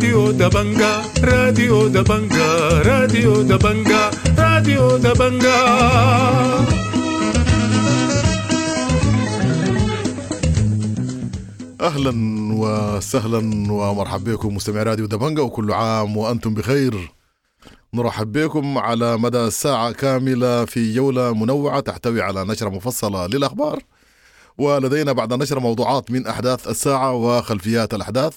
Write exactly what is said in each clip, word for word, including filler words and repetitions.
راديو دبنجا، راديو دبنجا، راديو دبنجا، راديو دبنجا. اهلا وسهلا ومرحبا بكم مستمعي راديو دبنجا، وكل عام وانتم بخير. نرحب بكم على مدى ساعة كاملة في جولة منوعة تحتوي على نشرة مفصلة للأخبار، ولدينا بعد النشرة موضوعات من أحداث الساعة وخلفيات الأحداث،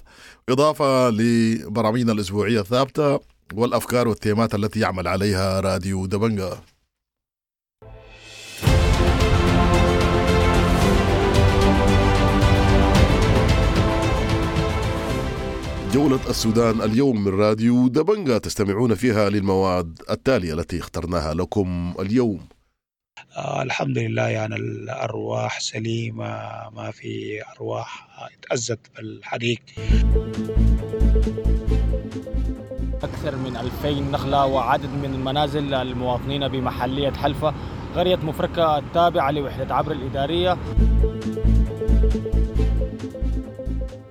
إضافة لبرامجنا الأسبوعية الثابتة والأفكار والتيمات التي يعمل عليها راديو دبنجا. جولة السودان اليوم من راديو دبنجا تستمعون فيها للمواد التالية التي اخترناها لكم اليوم. آه الحمد لله، يعني الأرواح سليمة، ما في أرواح اتأذت بالحريق. أكثر من ألفين نخلة وعدد من المنازل المواطنين بمحلية حلفة، قرية مفركة التابعة لوحدة عبر الإدارية.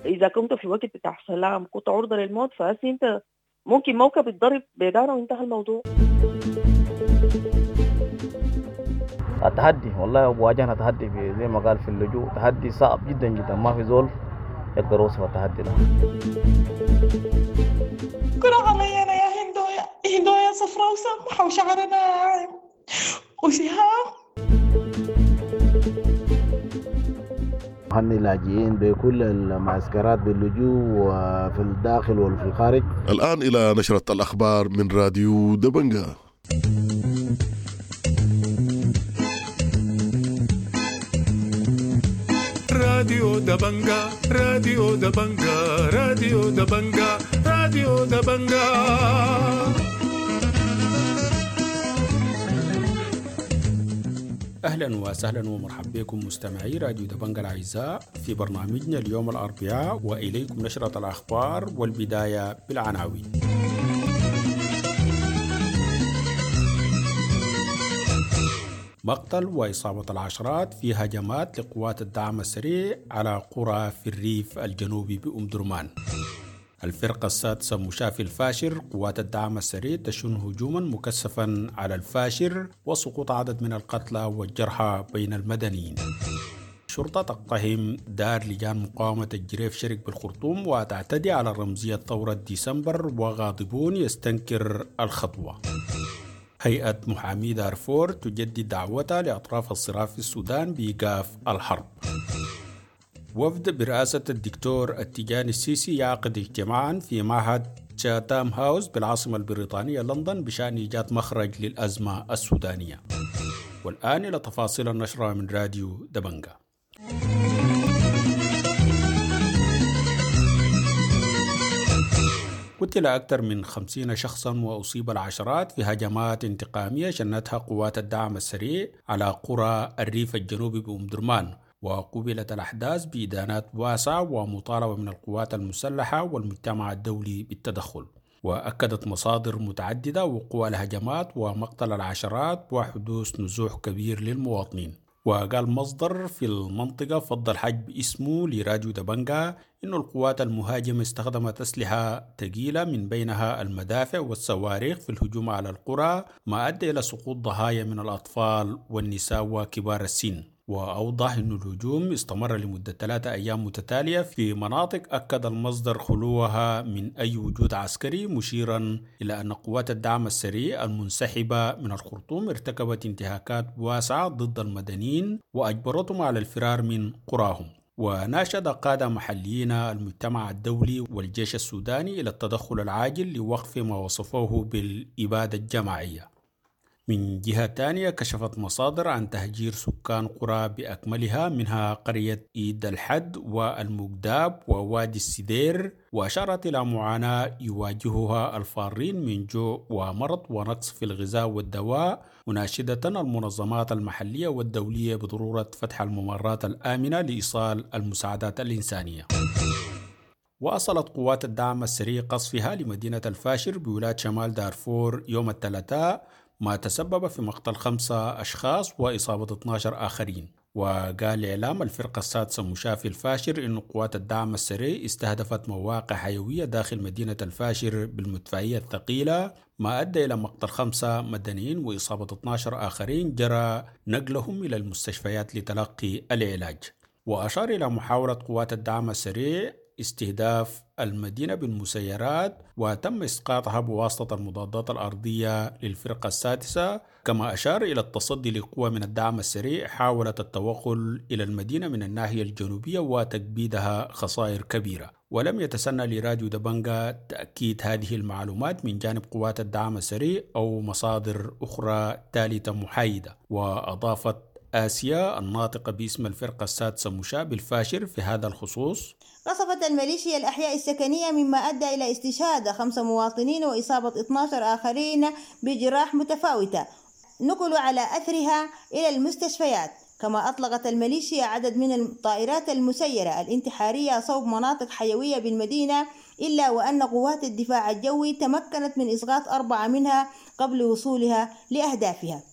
إذا كنت في وقت بتاع سلام كنت عرضة للموت، فأسي أنت ممكن موكب يتضرب بداره وانتهى الموضوع. التحدي والله واجهنا تحدي في زي ما قال في اللجوء، تحدي صعب جدا جدا، ما في زول يقدر يوصف التحدي ده. كرة علي أنا يا هندويا، هندويا صفراء وسمحة وشعرنا ناعم وسهام. هني لاجئين بكل المعسكرات باللجوء وفي الداخل وفي الخارج. الآن إلى نشرة الأخبار من راديو دبنجا. راديو دبنجا، راديو دبنجا، راديو دبنجا، راديو دبنجا. أهلا وسهلا ومرحبا بكم مستمعي راديو دبنجا الأعزاء في برنامجنا اليوم الأربعاء، وإليكم نشرة الأخبار والبداية بالعناوين. مقتل وإصابة العشرات في هجمات لقوات الدعم السريع على قرى في الريف الجنوبي بأم درمان. الفرقة السادسة مشافي الفاشر، قوات الدعم السريع تشن هجوما مكثفا على الفاشر وسقوط عدد من القتلى والجرحى بين المدنيين. الشرطة تقتحم دار لجان مقاومة الجريف شرق بالخرطوم وتعتدي على رمزية ثورة ديسمبر، وغاضبون يستنكر الخطوة. هيئة محامي دارفور تجدد دعوتها لأطراف الصراع في السودان بإيقاف الحرب. وفد برئاسة الدكتور التجاني السيسي يعقد اجتماعا في معهد تشاتام هاوس بالعاصمة البريطانية لندن بشأن إيجاد مخرج للأزمة السودانية. والآن إلى تفاصيل النشرة من راديو دبنجا. قتل أكثر من خمسين شخصا وأصيب العشرات في هجمات انتقامية شنتها قوات الدعم السريع على قرى الريف الجنوبي بأم درمان، وقوبلت الأحداث بإدانات واسعة ومطالبة من القوات المسلحة والمجتمع الدولي بالتدخل. وأكدت مصادر متعددة وقوع الهجمات ومقتل العشرات وحدوث نزوح كبير للمواطنين. وقال مصدر في المنطقة فضل حجب اسمه لراديو دبنجا إنه القوات المهاجمة استخدمت أسلحة ثقيلة من بينها المدافع والصواريخ في الهجوم على القرى، ما أدى إلى سقوط ضحايا من الأطفال والنساء وكبار السن. وأوضح أن الهجوم استمر لمدة ثلاثة أيام متتالية في مناطق أكد المصدر خلوها من أي وجود عسكري، مشيرا إلى أن قوات الدعم السريع المنسحبة من الخرطوم ارتكبت انتهاكات واسعة ضد المدنيين وأجبرتهم على الفرار من قراهم. وناشد قادة محليين المجتمع الدولي والجيش السوداني إلى التدخل العاجل لوقف ما وصفوه بالإبادة الجماعية. من جهة تانية كشفت مصادر عن تهجير سكان قرى بأكملها، منها قرية إيد الحد والمقداب ووادي السدير، وأشارت إلى معاناة يواجهها الفارين من جوع ومرض ونقص في الغذاء والدواء، مناشدة المنظمات المحلية والدولية بضرورة فتح الممرات الآمنة لإيصال المساعدات الإنسانية. واصلت قوات الدعم السريع قصفها لمدينة الفاشر بولاية شمال دارفور يوم الثلاثاء، ما تسبب في مقتل خمسة أشخاص وإصابة اثنا عشر آخرين. وقال إعلام الفرقة السادسة مشاة في الفاشر إن قوات الدعم السريع استهدفت مواقع حيوية داخل مدينة الفاشر بالمدفعية الثقيلة، ما أدى إلى مقتل خمسة مدنيين وإصابة اثنا عشر آخرين جرى نقلهم إلى المستشفيات لتلقي العلاج. وأشار إلى محاولة قوات الدعم السريع استهداف المدينة بالمسيرات وتم إسقاطها بواسطة المضادات الأرضية للفرقة السادسة. كما أشار إلى التصدي لقوة من الدعم السريع حاولت التوغل إلى المدينة من الناحية الجنوبية وتكبيدها خسائر كبيرة. ولم يتسنى لراديو دبنجا تأكيد هذه المعلومات من جانب قوات الدعم السريع أو مصادر أخرى ثالثة محايدة. وأضافت آسيا الناطقة باسم الفرقة السادسة مشاة بالفاشر في هذا الخصوص: قصفت الميليشيا الأحياء السكنية، مما أدى إلى استشهاد خمس مواطنين وإصابة اثنا عشر آخرين بجراح متفاوتة نقلوا على أثرها إلى المستشفيات. كما أطلقت الميليشيا عدد من الطائرات المسيرة الانتحارية صوب مناطق حيوية بالمدينة، إلا وأن قوات الدفاع الجوي تمكنت من إسقاط أربعة منها قبل وصولها لأهدافها.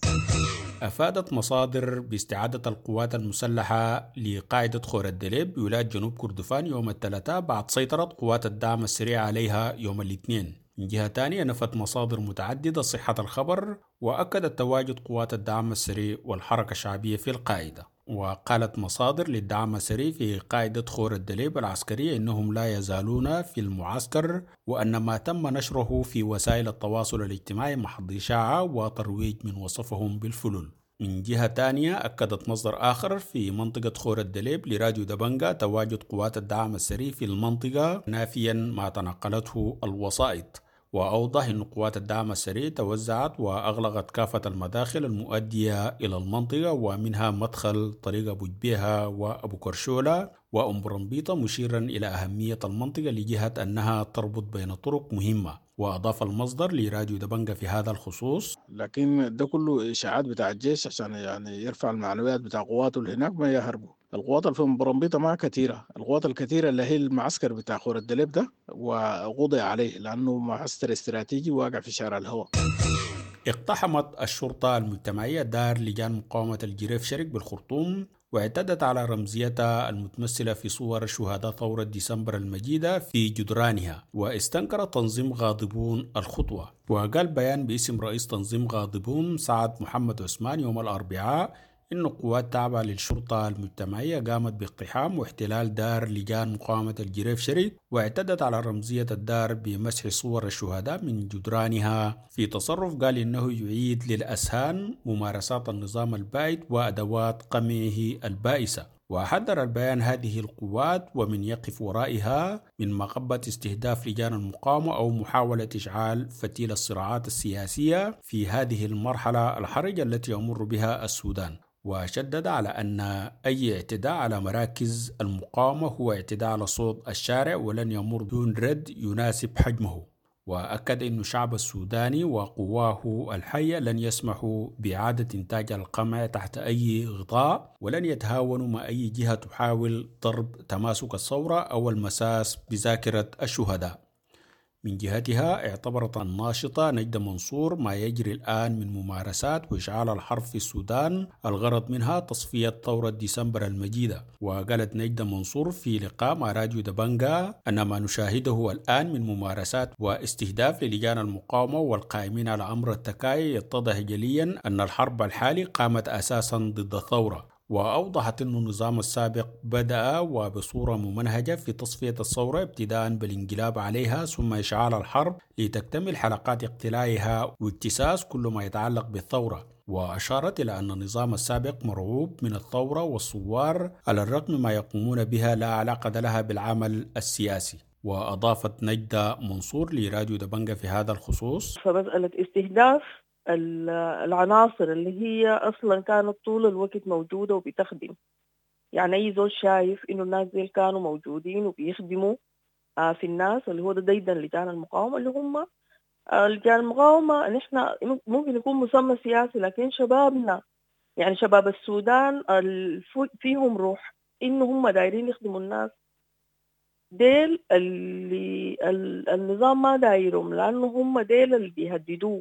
أفادت مصادر باستعادة القوات المسلحة لقاعدة خور الدليب بولاية جنوب كردفان يوم الثلاثاء بعد سيطرة قوات الدعم السريع عليها يوم الاثنين. من جهة ثانية، نفت مصادر متعددة صحة الخبر وأكدت تواجد قوات الدعم السريع والحركة الشعبية في القاعدة. وقالت مصادر للدعم السريع في قاعدة خور الدليب العسكرية إنهم لا يزالون في المعسكر، وأن ما تم نشره في وسائل التواصل الاجتماعي محض إشاعة وترويج من وصفهم بالفلول. من جهة تانية، أكدت مصدر آخر في منطقة خور الدليب لراديو دبنجا تواجد قوات الدعم السريع في المنطقة، نافيا ما تناقلته الوسائط. وأوضح أن قوات الدعم السريع توزعت وأغلقت كافة المداخل المؤدية إلى المنطقة، ومنها مدخل طريق أبو جبيهة وأبو كرشولة وأم برمبيطة، مشيرا إلى أهمية المنطقة لجهة أنها تربط بين طرق مهمة. وأضاف المصدر لراديو دبنجا في هذا الخصوص: لكن ده كله إشاعات بتاع الجيش عشان يعني يرفع المعنويات بتاع قواته اللي هناك ما يهربوا. القوات اللي في برمبيطة ما كثيرة، القوات الكثيرة اللي هي المعسكر بتاع خور الدليب ده، وقضي عليه لأنه معسكر استراتيجي واقع في شارع الهواء. اقتحمت الشرطة المجتمعية دار لجان مقاومة الجريف شرق بالخرطوم، واعتدت على رمزيتها المتمثلة في صور شهداء ثورة ديسمبر المجيدة في جدرانها. واستنكر تنظيم غاضبون الخطوة. وقال بيان باسم رئيس تنظيم غاضبون سعد محمد عثمان يوم الأربعاء إن قوات تابعة للشرطة المجتمعية قامت باقتحام واحتلال دار لجان مقاومة الجريف شرق، واعتدت على رمزية الدار بمسح صور الشهداء من جدرانها، في تصرف قال إنه يعيد للأذهان ممارسات النظام البائد وأدوات قمعه البائسة. وحذر البيان هذه القوات ومن يقف ورائها من مغبة استهداف لجان المقاومة أو محاولة إشعال فتيل الصراعات السياسية في هذه المرحلة الحرجة التي يمر بها السودان. وشدد على أن أي اعتداء على مراكز المقاومة هو اعتداء على صوت الشارع ولن يمر دون رد يناسب حجمه. وأكد أن الشعب السوداني وقواه الحية لن يسمحوا بإعادة إنتاج القمع تحت أي غطاء، ولن يتهاونوا مع أي جهة تحاول ضرب تماسك الثورة أو المساس بذاكرة الشهداء. من جهتها، اعتبرت الناشطة نجدة منصور ما يجري الآن من ممارسات وإشعال الحرب في السودان الغرض منها تصفية ثورة ديسمبر المجيدة. وقالت نجدة منصور في لقاء مع راديو دبنجا أن ما نشاهده الآن من ممارسات واستهداف للجان المقاومة والقائمين على أمر التكايا يتضح جليا أن الحرب الحالي قامت أساسا ضد الثورة. وأوضحت أن النظام السابق بدأ وبصورة ممنهجة في تصفية الثورة، ابتداء بالانقلاب عليها ثم إشعال الحرب لتكتمل حلقات اقتلاعها واجتثاث كل ما يتعلق بالثورة. وأشارت إلى أن النظام السابق مرعوب من الثورة والثوار، على الرغم ما يقومون بها لا علاقة لها بالعمل السياسي. وأضافت نجدة منصور لراديو دبنجا في هذا الخصوص: فمسألة استهداف العناصر اللي هي أصلا كانت طول الوقت موجودة وبتخدم، يعني أي زول شايف إنه الناس دي كانوا موجودين وبيخدموا في الناس، اللي هو ده ديدا لجان المقاومة، اللي هم لجان المقاومة نحن ممكن يكون مسمى سياسي، لكن شبابنا، يعني شباب السودان فيهم روح إنه هم دايرين يخدموا الناس ديل اللي النظام ما دايرهم، لأنه هم ديل اللي بيهددوه.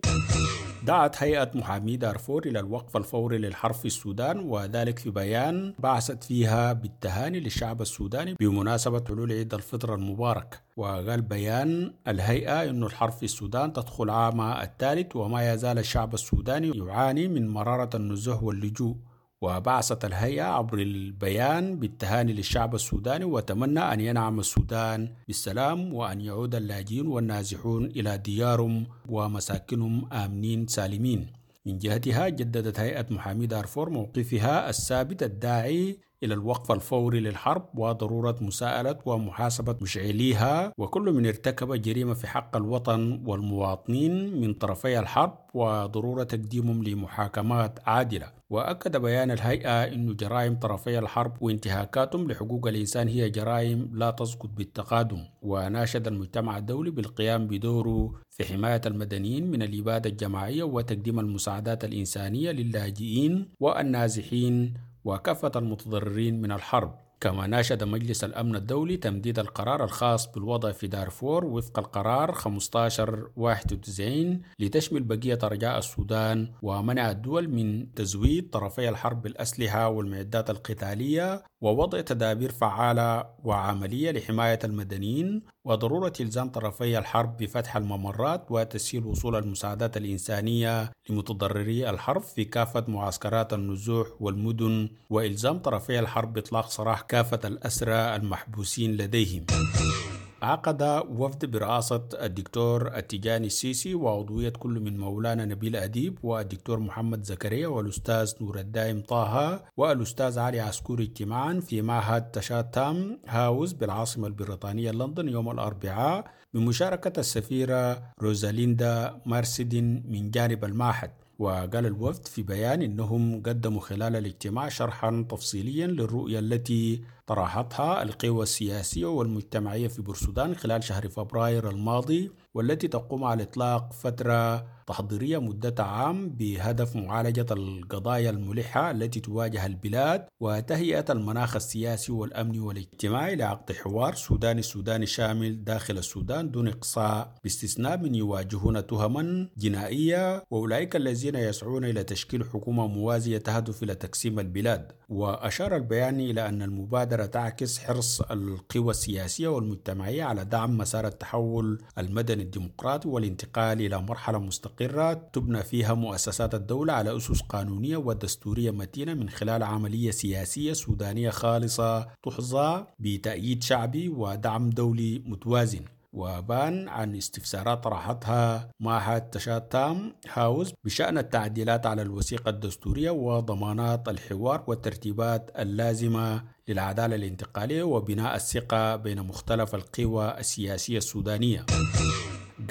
دعت هيئة محامي دارفور إلى الوقف الفوري للحرب في السودان، وذلك في بيان بعثت فيها بالتهاني للشعب السوداني بمناسبة حلول عيد الفطر المبارك. وقال بيان الهيئة أن الحرب في السودان تدخل عامها الثالث، وما يزال الشعب السوداني يعاني من مرارة النزوح واللجوء. وبعثت الهيئة عبر البيان بالتهاني للشعب السوداني، وتمنى أن ينعم السودان بالسلام وأن يعود اللاجئون والنازحون إلى ديارهم ومساكنهم آمنين سالمين. من جهتها جددت هيئة محامي دارفور موقفها الثابت الداعي إلى الوقف الفوري للحرب وضرورة مساءلة ومحاسبة مشعليها وكل من ارتكب جريمة في حق الوطن والمواطنين من طرفي الحرب، وضرورة تقديمهم لمحاكمات عادلة. وأكد بيان الهيئة أن جرائم طرفي الحرب وانتهاكاتهم لحقوق الإنسان هي جرائم لا تسقط بالتقادم، وناشد المجتمع الدولي بالقيام بدوره في حماية المدنيين من الإبادة الجماعية وتقديم المساعدات الإنسانية للاجئين والنازحين وكافة المتضررين من الحرب. كما ناشد مجلس الأمن الدولي تمديد القرار الخاص بالوضع في دارفور وفق القرار خمسة عشر واحد وتسعين لتشمل بقية أرجاء السودان، ومنع الدول من تزويد طرفي الحرب بالأسلحة والمعدات القتالية، ووضع تدابير فعالة وعملية لحماية المدنيين، وضرورة إلزام طرفي الحرب بفتح الممرات وتسهيل وصول المساعدات الإنسانية لمتضرري الحرب في كافة معسكرات النزوح والمدن، وإلزام طرفي الحرب بإطلاق سراح كافة الأسرى المحبوسين لديهم. عقد وفد برئاسة الدكتور التجاني السيسي وعضوية كل من مولانا نبيل أديب والدكتور محمد زكريا والأستاذ نور الدائم طه والأستاذ علي عسكوري اجتماعا في معهد تشاتام هاوس بالعاصمة البريطانية لندن يوم الأربعاء بمشاركة السفيرة روزاليندا مارسيدين من جانب المعهد. وقال الوفد في بيان إنهم قدموا خلال الاجتماع شرحا تفصيليا للرؤية التي طرحتها القوى السياسية والمجتمعية في بورسودان خلال شهر فبراير الماضي، والتي تقوم على إطلاق فترة تحضيرية مدة عام بهدف معالجة القضايا الملحة التي تواجه البلاد وتهيئة المناخ السياسي والأمني والاجتماعي لعقد حوار سوداني سوداني شامل داخل السودان دون إقصاء، باستثناء من يواجهون تهما جنائية وأولئك الذين يسعون إلى تشكيل حكومة موازية تهدف إلى تقسيم البلاد. وأشار البيان إلى أن المبادرة تعكس حرص القوى السياسية والمجتمعية على دعم مسار التحول المدني الديمقراطي والانتقال إلى مرحلة مستقرة تبنى فيها مؤسسات الدولة على أسس قانونية ودستورية متينة من خلال عملية سياسية سودانية خالصة تحظى بتأييد شعبي ودعم دولي متوازن. وبان عن استفسارات طرحتها معهد تشاتام هاوس بشأن التعديلات على الوثيقة الدستورية وضمانات الحوار والترتيبات اللازمة للعدالة الانتقالية وبناء الثقة بين مختلف القوى السياسية السودانية.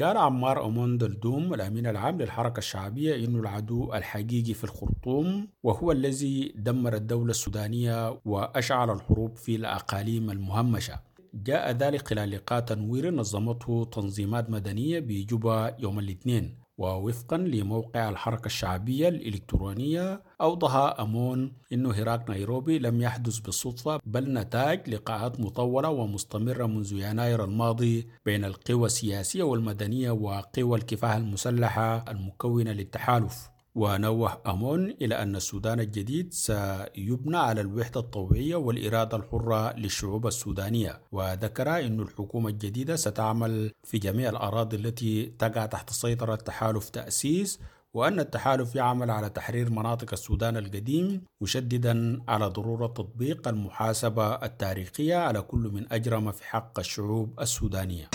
قال عمار أمون دلدوم الأمين العام للحركة الشعبية إنه العدو الحقيقي في الخرطوم وهو الذي دمر الدولة السودانية وأشعل الحروب في الأقاليم المهمشة. جاء ذلك خلال لقاء تنوير نظمته تنظيمات مدنية بجوبا يوم الاثنين. ووفقا لموقع الحركة الشعبية الإلكترونية أوضح أمون أن هراك نيروبي لم يحدث بالصدفة بل نتاج لقاءات مطولة ومستمرة منذ يناير الماضي بين القوى السياسية والمدنية وقوى الكفاح المسلحة المكونة للتحالف. ونوه أمون إلى أن السودان الجديد سيبنى على الوحدة الطوعية والإرادة الحرة للشعوب السودانية، وذكر أن الحكومة الجديدة ستعمل في جميع الأراضي التي تقع تحت سيطرة تحالف تأسيس، وأن التحالف يعمل على تحرير مناطق السودان القديم، مشددا على ضرورة تطبيق المحاسبة التاريخية على كل من أجرم في حق الشعوب السودانية.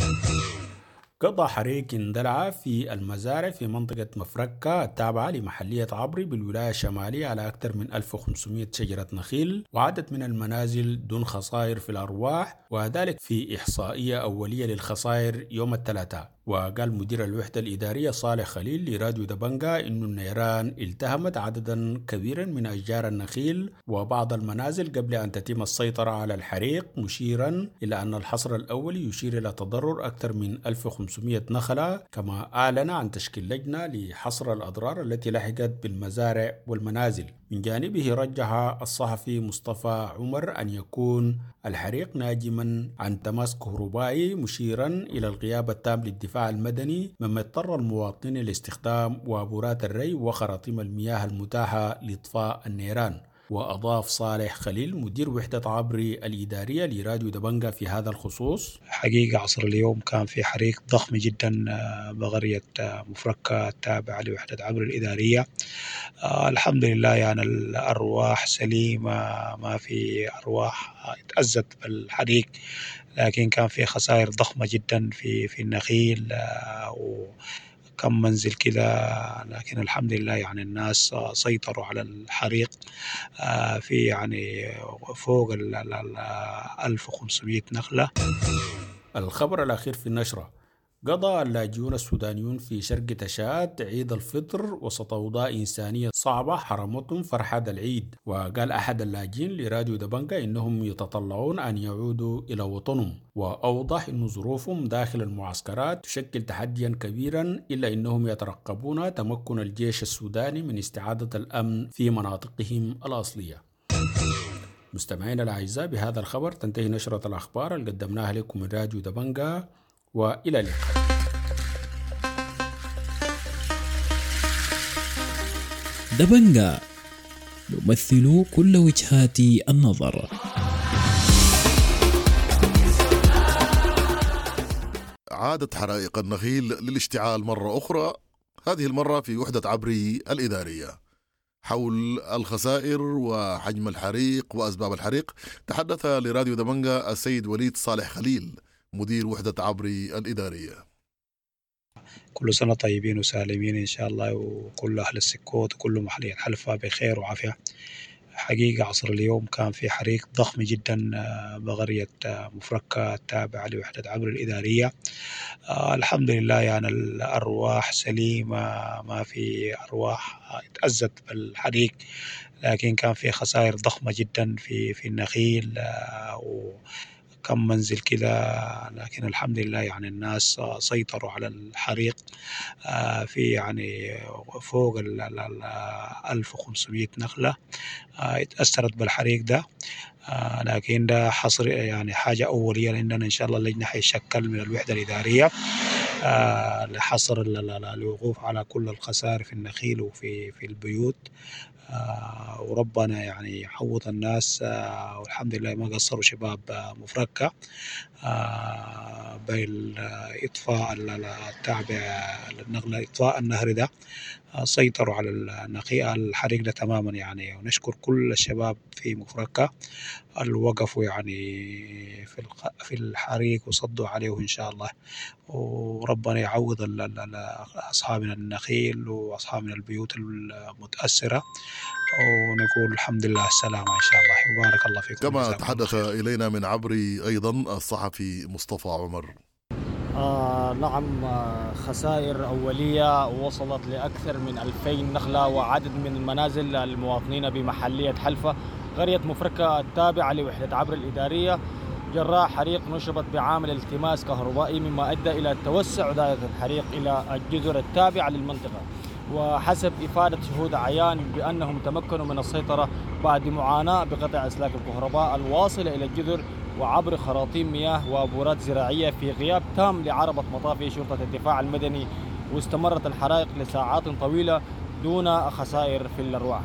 قضى حريق اندلع في المزارع في منطقة مفركة التابعة لمحلية عبري بالولاية الشمالية على أكثر من ألف وخمسمائة شجرة نخيل وعدد من المنازل دون خسائر في الأرواح، وذلك في إحصائية أولية للخسائر يوم الثلاثاء. وقال مدير الوحدة الإدارية صالح خليل لراديو دبنجا إن النيران التهمت عددا كبيرا من أشجار النخيل وبعض المنازل قبل أن تتم السيطرة على الحريق، مشيرا إلى أن الحصر الأولي يشير إلى تضرر أكثر من ألف وخمسمائة نخلة. كما أعلن عن تشكيل لجنة لحصر الأضرار التي لحقت بالمزارع والمنازل. من جانبه رجح الصحفي مصطفى عمر أن يكون الحريق ناجما عن تماس كهربائي، مشيرا إلى الغياب التام للدفاع المدني، مما اضطر المواطنين لاستخدام وابورات الري وخراطيم المياه المتاحة لإطفاء النيران. وأضاف صالح خليل مدير وحدة عبري الإدارية لراديو دبنجا في هذا الخصوص: حقيقة عصر اليوم كان في حريق ضخم جدا بغرية مفركة التابعة لوحدة عبري الإدارية. الحمد لله يعني الأرواح سليمة، ما في أرواح اتأذت بالحريق، لكن كان في خسائر ضخمة جدا في في النخيل و كم منزل كده، لكن الحمد لله يعني الناس سيطروا على الحريق. في يعني فوق ال ألف وخمسمائة نخلة. الخبر الأخير في النشرة: قضى اللاجئون السودانيون في شرق تشاد عيد الفطر وسط أوضاع إنسانية صعبة حرمتهم فرحة العيد. وقال أحد اللاجئين لراديو دبنجا إنهم يتطلعون أن يعودوا إلى وطنهم، وأوضح أن ظروفهم داخل المعسكرات تشكل تحديا كبيرا، إلا أنهم يترقبون تمكن الجيش السوداني من استعادة الأمن في مناطقهم الأصلية. مستمعينا الأعزاء، بهذا الخبر تنتهي نشرة الأخبار اللي قدمناها لكم من راديو دبنجا، وإلى اللقاء. دبنجا نمثل كل وجهات النظر. عادت حرائق النخيل للاشتعال مرة أخرى، هذه المرة في وحدة عبري الإدارية. حول الخسائر وحجم الحريق وأسباب الحريق تحدث لراديو دبنجا السيد وليد صالح خليل مدير وحدة عبري الإدارية. كل سنة طيبين وسالمين إن شاء الله، وكل أهل السكوت وكل محلية حلفة بخير وعافية. حقيقة عصر اليوم كان في حريق ضخم جدا بغرية مفركة التابعة لوحدة عبري الإدارية. الحمد لله يعني الأرواح سليمة، ما في أرواح اتأذت بالحريق، لكن كان في خسائر ضخمة جدا في في النخيل و كم منزل كده، لكن الحمد لله يعني الناس سيطروا على الحريق. في يعني فوق ال ألف وخمسمائة نخلة اتأثرت بالحريق ده، لكن ده حصر يعني حاجة أولية، لأننا إن شاء الله اللجنة حيشكل من الوحدة الإدارية لحصر الوقوف على كل الخسائر في النخيل وفي في البيوت، وربنا يعني يعوض الناس. والحمد لله ما قصروا شباب مفركة بالإطفاء التابع للنغلة، إطفاء النهر ده، سيطروا على النخيل الحريق ده تماما يعني. ونشكر كل الشباب في مفركة اللي وقفوا يعني في في الحريق وصدوا عليه إن شاء الله، وربنا يعوض أصحابنا النخيل وأصحابنا البيوت المتأثرة، ونقول الحمد لله السلامة إن شاء الله، وبارك الله فيكم. كما تحدث إلينا من عبري أيضا الصحفي مصطفى عمر. آه نعم، خسائر أولية وصلت لأكثر من ألفين نخلة وعدد من المنازل المواطنين بمحلية حلفة قرية مفركة التابعة لوحدة عبر الإدارية جراء حريق نشبت بعامل التماس كهربائي، مما أدى إلى توسع دائرة الحريق إلى الجزر التابعة للمنطقة. وحسب إفادة شهود عيان بأنهم تمكنوا من السيطرة بعد معاناة بقطع أسلاك الكهرباء الواصلة إلى الجذر وعبر خراطيم مياه وابورات زراعية في غياب تام لعربة مطافي شرطة الدفاع المدني، واستمرت الحرائق لساعات طويلة دون خسائر في الأرواح.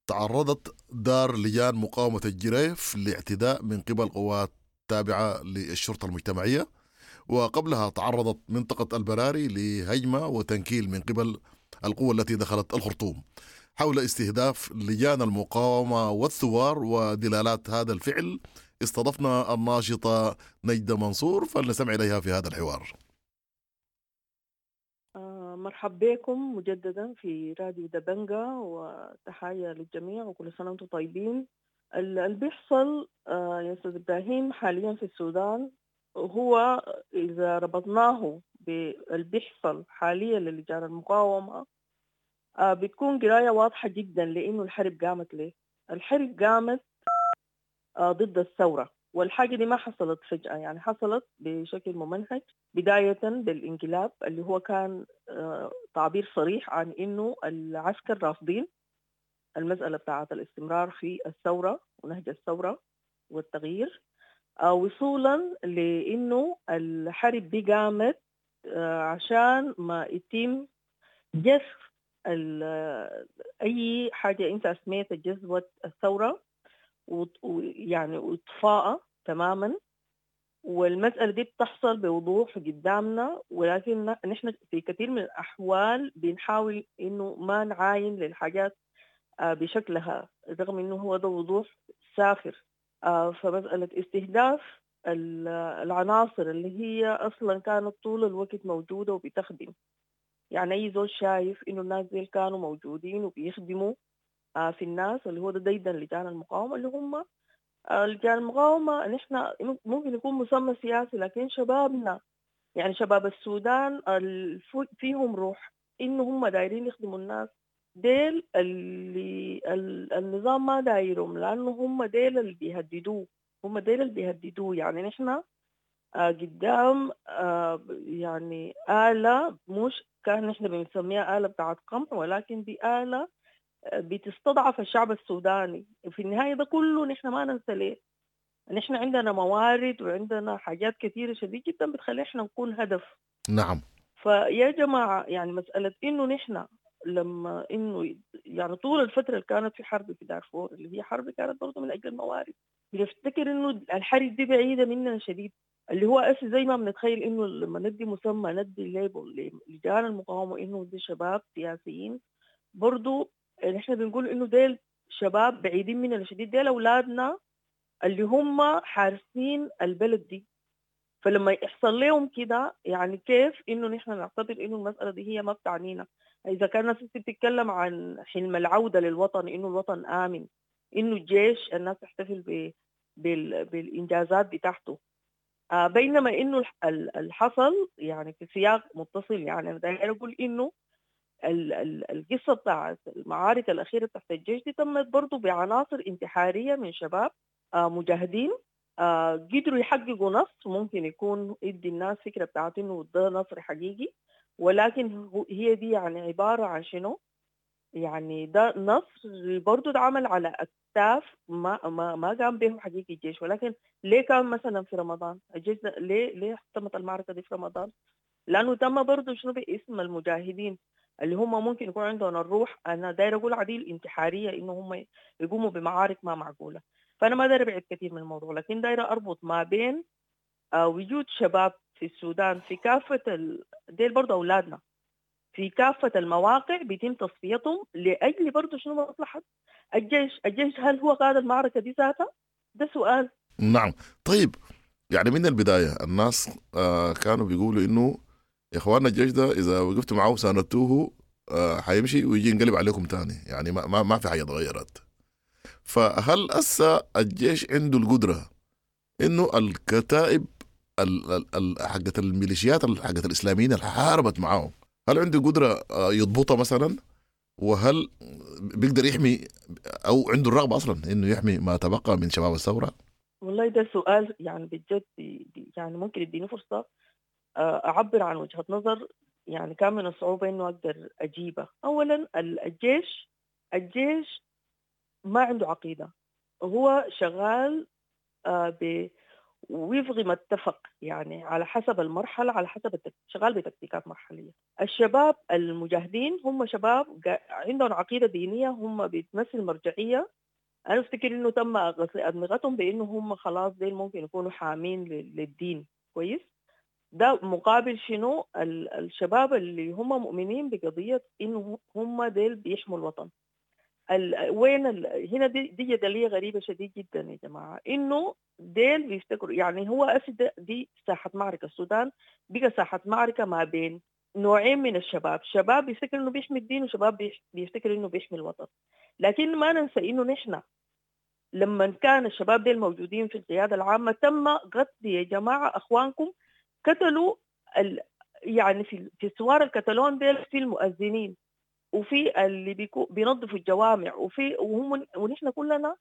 تعرضت دار لجان مقاومة الجريف لاعتداء من قبل قوات تابعة للشرطة المجتمعية، وقبلها تعرضت منطقة البراري لهجمة وتنكيل من قبل القوة التي دخلت الخرطوم. حول استهداف لجان المقاومة والثوار ودلالات هذا الفعل استضفنا الناشطة نجدة منصور، فلنستمع إليها في هذا الحوار. مرحب بكم مجددا في راديو دبنجا، وتحية للجميع وكل سنة وانتم طيبين. اللي بيحصل يا أستاذ إبراهيم حاليا في السودان هو إذا ربطناه باللي بيحصل حاليا للجان المقاومة بتكون قراية واضحة جدا، لأنه الحرب قامت ليه؟ الحرب قامت ضد الثورة، والحاجة دي ما حصلت فجأة، يعني حصلت بشكل ممنهج، بداية بالانقلاب اللي هو كان تعبير صريح عن إنه العسكر رافضين المسألة بتاعت الاستمرار في الثورة ونهج الثورة والتغيير، وصولا لأنه الحرب دي قامت عشان ما يتم جذب أي حاجة أنت أسميتها جذوة الثورة ويعني وإطفاءها تماما. والمسألة دي بتحصل بوضوح قدامنا، ولكن نحن في كثير من الأحوال بنحاول إنه ما نعاين للحاجات بشكلها رغم إنه هو ده وضوح سافر. فمسألة استهداف العناصر اللي هي أصلا كانت طول الوقت موجودة وبتخدم، يعني أي زول شايف إنه الناس دي كانوا موجودين وبيخدموا في الناس اللي هو ده ديدا لجان المقاومة، اللي هم لجان المقاومة نحن ممكن يكون مسمى سياسي، لكن شبابنا يعني شباب السودان فيهم روح إنه هم دايرين يخدموا الناس ديل اللي النظام ما دايرهم، لأنه هم ديل اللي بيهددوه، هم ديل اللي بيهددوه. يعني نحن قدام يعني آلة، مش كان نحن بنسميها آلة بتاعت قمع، ولكن دي آلة بتستضعف الشعب السوداني. في النهاية ده كله نحن ما ننسى ليه نحن عندنا موارد وعندنا حاجات كثيرة شديد جدا بتخلي احنا نكون هدف. نعم. فيا جماعة يعني مسألة إنه نحن لما إنه يعني طول الفترة اللي كانت في حرب في دارفور اللي هي حرب كانت برضو من أجل الموارد، بنفتكر إنه الحرب دي بعيدة مننا شديد، اللي هو أسي زي ما بنتخيل إنه لما ندي مسمى ندي label لجان المقاومة إنه دي شباب سياسيين، برضو نحن بنقول إنه ديل شباب بعيدين مننا شديد، ديل أولادنا اللي هم حارسين البلد دي. فلما يحصل لهم كده يعني كيف إنه نحن نعتبر إنه المسألة دي هي ما بتعنينا؟ إذا كان الناس بتتكلم عن حلم العودة للوطن، إنه الوطن آمن، إنه الجيش الناس تحتفل ب... بال... بالإنجازات بتاعته، آه بينما إنه الحصل يعني في سياق متصل. يعني أنا داير أقول إنه ال... ال... القصة بتاعت المعارك الأخيرة تحت الجيش دي تمت برضو بعناصر انتحارية من شباب آه مجاهدين آه قدروا يحققوا نصر، ممكن يكون يدي الناس فكرة بتاعت إنه ده نصر حقيقي، ولكن هي دي يعني عبارة عن شنو؟ يعني ده نصر برضو اتعمل على أكتاف ما ما ما قام به حقيقي الجيش. ولكن ليه كان مثلا في رمضان الجيش ده ليه ليه تمت المعركة دي في رمضان؟ لأنه تم برضو شنو باسم المجاهدين اللي هم ممكن يكون عندهم الروح، أنا داير أقول عديل انتحارية، إنه هم يقوموا بمعارك ما معقولة. فأنا ما داير أبعد كثير من الموضوع، لكن داير أربط ما بين وجود شباب في السودان في كافة ال... ديل برضو أولادنا في كافة المواقع بيتم تصفيتهم لأجل برضو شنو مصلحة الجيش. الجيش هل هو قاد المعركة دي ذاتها؟ ده سؤال. نعم. طيب يعني من البداية الناس آه كانوا بيقولوا إنه يا إخواننا الجيش ده إذا وقفتوا معه وساندتوه آه حيمشي ويجي ينقلب عليكم تاني، يعني ما, ما, ما في حاجة تغيرت. فهل أسا الجيش عنده القدرة إنه الكتائب حقت الميليشيات حقت الإسلاميين اللي حاربت معاهم، هل عنده قدرة يضبطها مثلا؟ وهل بيقدر يحمي أو عنده الرغبة أصلا إنه يحمي ما تبقى من شباب الثورة؟ والله ده سؤال يعني بجد يعني ممكن يديني فرصة أعبر عن وجهة نظر يعني كان من الصعوبة إنه أقدر أجيبها. أولا الجيش الجيش ما عنده عقيدة، هو شغال ب ويفغي ما اتفق يعني على حسب المرحلة، على حسب التك... شغال بتكتيكات مرحلية. الشباب المجاهدين هم شباب عندهم عقيدة دينية، هم بتمثل مرجعية. أنا أفتكر إنه تم غسل أدمغتهم بإنه هم خلاص ديل ممكن يكونوا حامين للدين. كويس، ده مقابل شنو؟ الشباب اللي هم مؤمنين بقضية إنه هم ديل بيحموا الوطن. ال... وين ال... هنا دي, دي جدلية غريبة شديد جدا يا جماعة، إنه ديل بيفتكروا يعني هو أسد دي ساحة معركة. السودان بقى ساحة معركة ما بين نوعين من الشباب، شباب بيفتكر إنه بيحمي الدين وشباب بيفتكر إنه بيحمي الوطن. لكن ما ننسى إنه نحن لما كان الشباب ديل موجودين في القيادة العامة تم قتل يا جماعة أخوانكم، قتلوا ال... يعني في في الثوار الكتالون ديل في المؤذنين وفي اللي بيكو بينظفوا الجوامع وفي وهم ونحن كلنا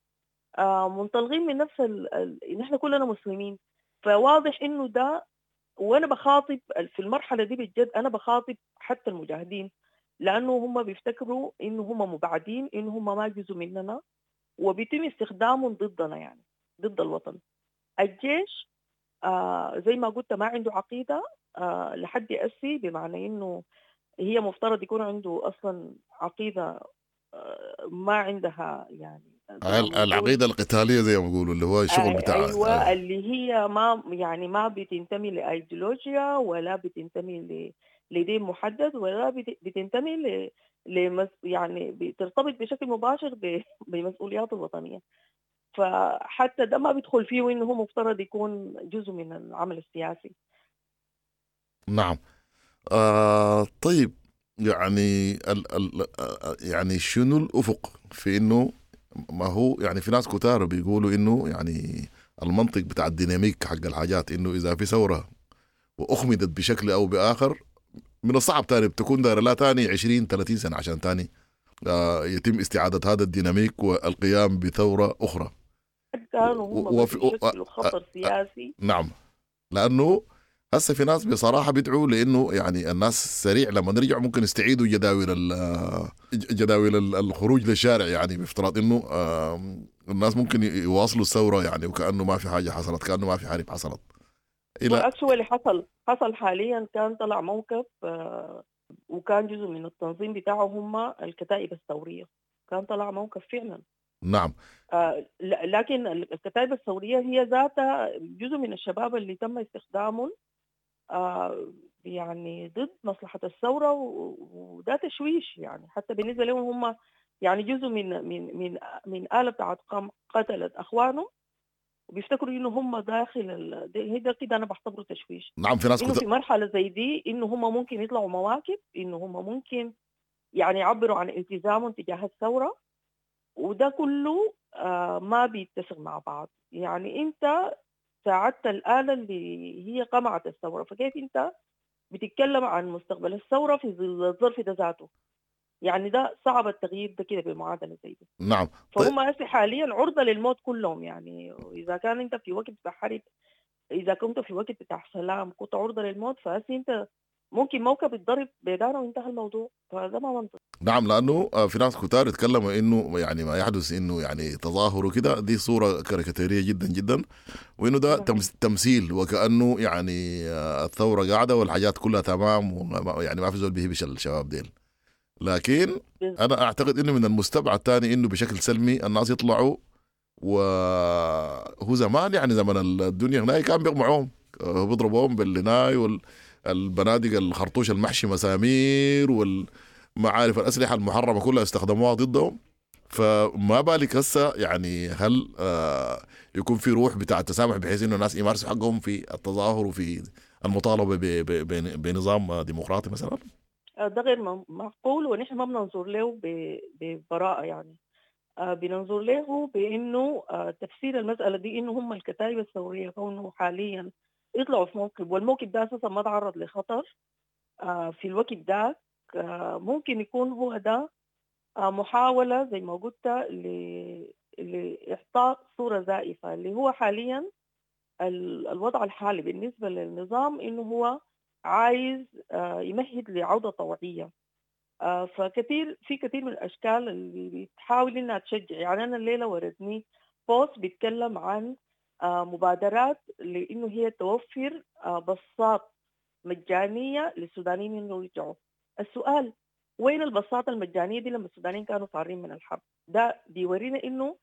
آه منطلقين من نفس ال... ال... نحن كلنا مسلمين. فواضح انه ده، وانا بخاطب في المرحله دي بالجد، انا بخاطب حتى المجاهدين لأنه هم بيفتكروا إنه هم مبعدين، إنه هم ما جزء مننا، وبيتم استخدامهم ضدنا، يعني ضد الوطن. الجيش آه زي ما قلت ما عنده عقيدة آه لحد أسي، بمعنى إنه هي مفترض يكون عنده أصلا عقيدة آه ما عندها، يعني العقيدة القتالية زي ما بيقولوا، اللي هو الشغل بتاع أيوة آه. اللي هي ما يعني ما بتنتمي لأيديولوجيا ولا بتنتمي ل لدين محدد ولا بتنتمي ل لمس يعني بترتبط بشكل مباشر بمسؤوليات الوطنية. فحتى ده ما بيدخل فيه إنه هو مفترض يكون جزء من العمل السياسي. نعم. آه طيب، يعني ال ال يعني شنو الأفق في إنه ما هو يعني في ناس كتار بيقولوا إنه يعني المنطق بتاع الديناميك حق الحاجات إنه إذا في ثورة وأخمدت بشكل أو بآخر من الصعب تاني بتكون دايرة لا تاني عشرين ثلاثين سنة عشان تاني آه يتم استعادة هذا الديناميك والقيام بثورة أخرى. كانوا هم بيشكلوا خطر سياسي. نعم، لأنه هسه في ناس بصراحة بيدعوا لأنه يعني الناس سريع لما نرجع ممكن يستعيدوا جداول جداول الخروج للشارع، يعني بافتراض إنه الناس ممكن يواصلوا الثورة يعني وكأنه ما في حاجة حصلت، كأنه ما في حرب حصلت. إلى اللي حصل حصل حاليا كان طلع موقف وكان جزء من التنظيم بتاعه هم الكتائب الثورية، كان طلع موقف فعلا. نعم. آه لكن الكتائب الثورية هي ذاتها جزء من الشباب اللي تم استخدامهم آه يعني ضد مصلحة الثورة، وده تشويش يعني حتى بالنسبة لهم هم يعني جزء من من من من آلة بتاعت قتلت أخوانهم، وبيفتكروا إنه هم داخل ال... ده كده أنا بعتبره تشويش. نعم، في ناس إنه في مرحلة زي دي إنه هم ممكن يطلعوا مواكب، إنه هم ممكن يعني يعبروا عن التزامهم تجاه الثورة، وده كله آه ما بيتسق مع بعض. يعني أنت ساعدت الآلة اللي هي قمعت الثورة، فكيف أنت بتتكلم عن مستقبل الثورة في الظرف ده ذاته؟ يعني ده صعب التغيير ده كده بمعادلة زي دي. نعم. فهم هسه حاليا عرضة للموت كلهم، يعني إذا كان أنت في وقت بتاع حرب، إذا كنت في وقت بتاع سلام كنت عرضة للموت، فهسه أنت ممكن موكب يتضرب بداره وانتهى الموضوع، فهذا ما منطق. نعم، لأنه في ناس كتار يتكلموا إنه يعني ما يحدث إنه يعني تظاهر وكده دي صورة كاريكاتيرية جدا جدا، وإنه ده تمثيل وكأنه يعني الثورة قاعدة والحاجات كلها تمام، ويعني ما في زول بيهبش الشباب ديل. لكن أنا أعتقد إنه من المستبعد تاني إنه بشكل سلمي الناس يطلعوا، وهو زمان يعني زمن الدنيا هناك كان بيقمعوهم، بيضربوهم بالناي والبنادق الخرطوش المحشي مسامير والمعارف الأسلحة المحرمة كلها استخدموها ضدهم. فما بالك هسه يعني هل آه يكون في روح بتاع التسامح بحيث إنه الناس يمارسوا حقهم في التظاهر وفي المطالبة بنظام ديمقراطي مثلا؟ ده غير معقول، ونحن ما بننظر له ببراءة، يعني بننظر له بأنه تفسير المسألة دي إنه هم الكتائب الثورية كونه حاليا يطلعوا في موكب، والموكب ده أساسا ما تعرض لخطر في الوقت ده، ممكن يكون هو ده محاولة زي ما قلت لإعطاء صورة زائفة اللي هو حاليا الوضع الحالي بالنسبة للنظام إنه هو عايز يمهد لعودة طوعية. فكثير في كثير من الأشكال اللي بتحاول إنها تشجع. يعني أنا الليلة وردني بوست بيتكلم عن مبادرات لإنه هي توفر بصات مجانية للسودانيين إنه يرجعوا. السؤال وين البساطة المجانية دي لما السودانيين كانوا فارين من الحرب؟ ده بيورينا إنه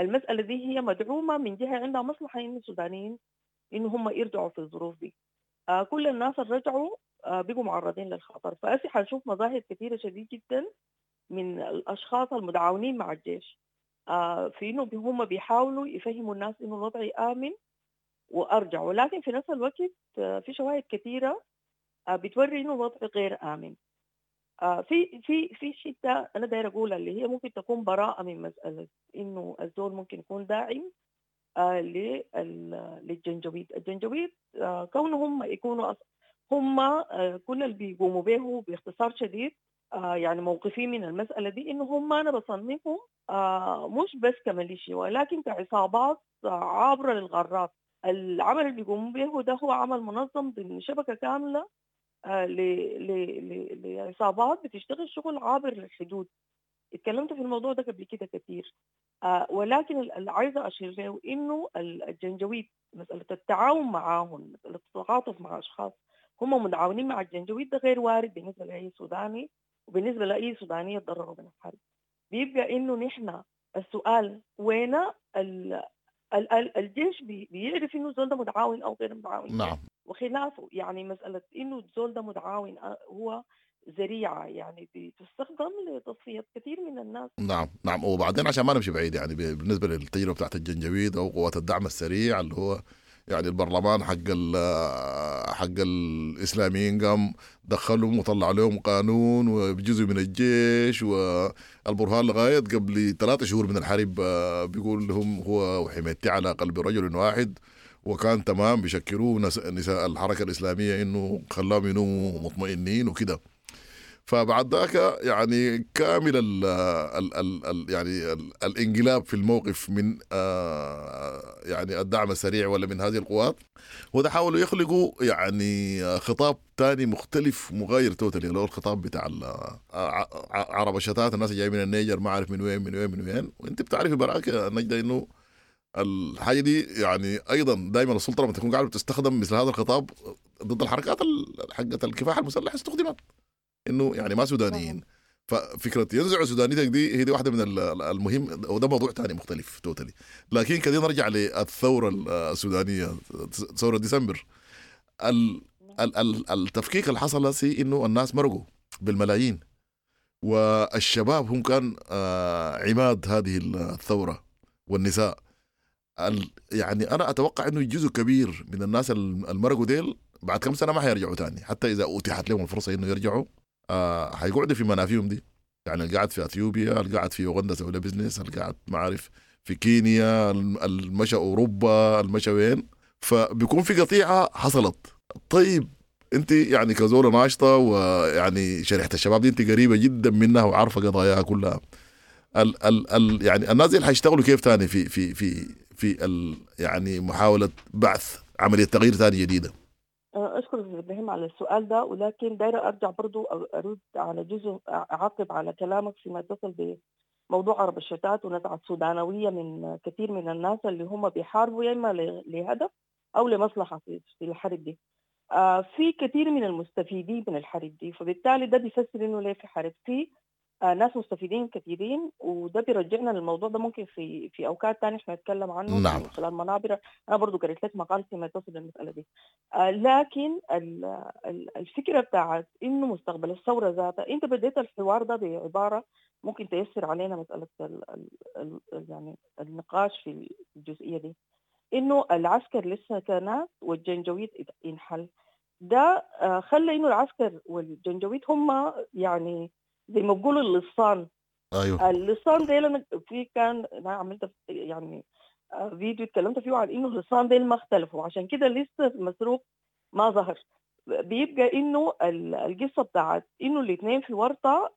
المسألة دي هي مدعومة من جهة عندها مصلحة إنه السودانيين إنه هم يرجعوا في الظروف دي. آه كل الناس اللي رجعوا آه بقوا معرضين للخطر. فأسي حنشوف مظاهر كثيرة شديد جدا من الأشخاص المتعاونين مع الجيش آه في إنه هم بيحاولوا يفهموا الناس إنه الوضع آمن وأرجعوا، ولكن في نفس الوقت آه في شواهد كثيرة آه بتوري إنه الوضع غير آمن. آه في في في شتى أنا داير أقولها اللي هي ممكن تكون براءة من مسألة إنه الزول ممكن يكون داعم آه للجنجويد. الجنجويد آه كونهم يكونوا هم آه كل اللي بيقوموا به باختصار شديد آه يعني موقفين من المسألة دي إنه هم أنا بصنفهم آه مش بس كميليشيا ولكن كعصابات آه عابرة للغارات. العمل اللي بيقوموا به ده هو عمل منظم ضمن شبكة كاملة آه، ل- ل- ل- لعصابات بتشتغل شغل عابر للحدود. اتكلمت في الموضوع ده قبل كده كثير، آه، ولكن اللي عايزه اشير له انه الجنجويد مسالة التعاون معاهم، مسالة التعاطف مع اشخاص هم متعاونين مع الجنجويد، ده غير وارد بالنسبة لاي سوداني وبالنسبة لاي سودانيه تضرروا من الحرب. بيبقى انه نحن السؤال وين ال ال ال الجيش بي بيعرف انه الزول ده متعاون او غير متعاون. نعم. وخلافه، يعني مسالة انه الزول ده متعاون هو ذريعة يعني بتستخدم لتصفيه كثير من الناس. نعم نعم. وبعدين عشان ما نمشي بعيد، يعني بالنسبة للتجربه بتاعت الجنجويد او قوات الدعم السريع اللي هو يعني البرلمان حق حق الاسلاميين قام دخلهم وطلع لهم قانون وبجزء من الجيش، والبرهان لغاية قبل ثلاثة شهور من الحرب بيقول لهم هو وحميتي على قلب رجل واحد، وكان تمام بيشكروه نساء الحركة الاسلامية انه خلاهم ينوموا مطمئنين وكده. فبعد ذاك يعني كامل ال ال ال ال يعني ال الانقلاب في الموقف من آه يعني الدعم السريع ولا من هذه القوات، وده حاولوا يخلقوا يعني خطاب تاني مختلف مغاير totally، اللي هو الخطاب بتاع عرب الشتات، الناس جايين من النيجر ما عارف من وين من وين من وين. وانت بتعرفي براك يا نجدة انه الحاجة دي يعني ايضا دائما السلطة لما تكون قاعدة بتستخدم مثل هذا الخطاب ضد الحركات حقت الكفاح المسلح استخدمت انه يعني ما سودانيين. ففكره ينزعوا سودانيتك دي هي دي واحدة من المهم، وده موضوع ثاني مختلف totally. لكن كده نرجع للثورة السودانية، ثورة ديسمبر. ال ال التفكيك اللي حصل سي انه الناس مرقوا بالملايين، والشباب هم كان عماد هذه الثورة والنساء. يعني انا اتوقع انه جزء كبير من الناس المرقوا ديل بعد كم سنة ما حيرجعوا تاني، حتى اذا اتيحت لهم الفرصة انه يرجعوا آه حيقعدوا في منافيهم دي. يعني القاعد في اثيوبيا، القاعد في اوغندا سوى له business، القاعد ما عارف في كينيا، المشى اوروبا، المشى وين، فبيكون في قطيعة حصلت. طيب انت يعني كزوله ناشطة ويعني شريحة الشباب دي انت قريبه جدا منها وعارفه قضاياها كلها، ال ال ال يعني الناس دي حيشتغلوا كيف تاني في في في في ال يعني محاولة بعث عملية تغيير ثانية جديدة؟ أشكر أستاذ إبراهيم على السؤال ده، ولكن دايرة أرجع برضو أرد على جزء، أعقب على كلامك فيما يتصل بموضوع عرب الشتات ونزعة السودانوية من كثير من الناس اللي هم بيحاربوا يا إما لهدف أو لمصلحة في الحرب دي. في كثير من المستفيدين من الحرب دي، فبالتالي ده بيفسر إنه ليه في حرب، في ناس مستفيدين كثيرين، وده بيرجعنا للموضوع ده ممكن في في اوقات ثانية احنا نتكلم عنه. نعم. من خلال منابر انا برضو قريت لك مقال فيما يتصل بالمسالة دي. آه لكن الفكرة بتاعت انه مستقبل الثورة ذاتها، انت بديت الحوار ده بعبارة ممكن تيسر علينا مسالة ال ال ال يعني النقاش في الجزئية دي، انه العسكر لسه كناس والجنجويد انحل. ده آه خلى انه العسكر والجنجويد هم يعني زي ما بيقولوا اللصان. ايوه اللصان ديل، انا في كان انا عملت يعني فيديو اتكلمت فيه عن انه اللصان ديل ما اختلفوا، عشان كده لسه المسروق ما ظهر. بيبقى انه القصة بتاعت انه الاثنين في ورطة،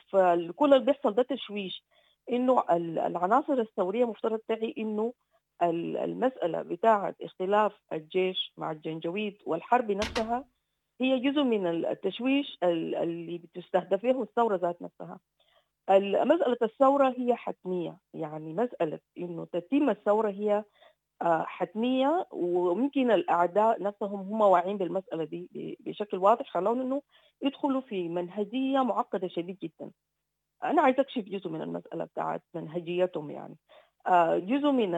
فكل اللي بيحصل ده تشويش. انه العناصر الثورية مفترض تعي انه المسالة بتاعت اختلاف الجيش مع الجنجويد والحرب نفسها هي جزء من التشويش اللي بتستهدفه الثورة ذات نفسها. مسألة الثورة هي حتمية، يعني مسألة إنه تتم الثورة هي حتمية، وممكن الأعداء نفسهم هم واعين بالمسألة دي بشكل واضح، خلون إنه يدخلوا في منهجية معقدة شديد جدا. أنا عايز أكشف جزء من المسألة بتاعت منهجيتهم، يعني جزء من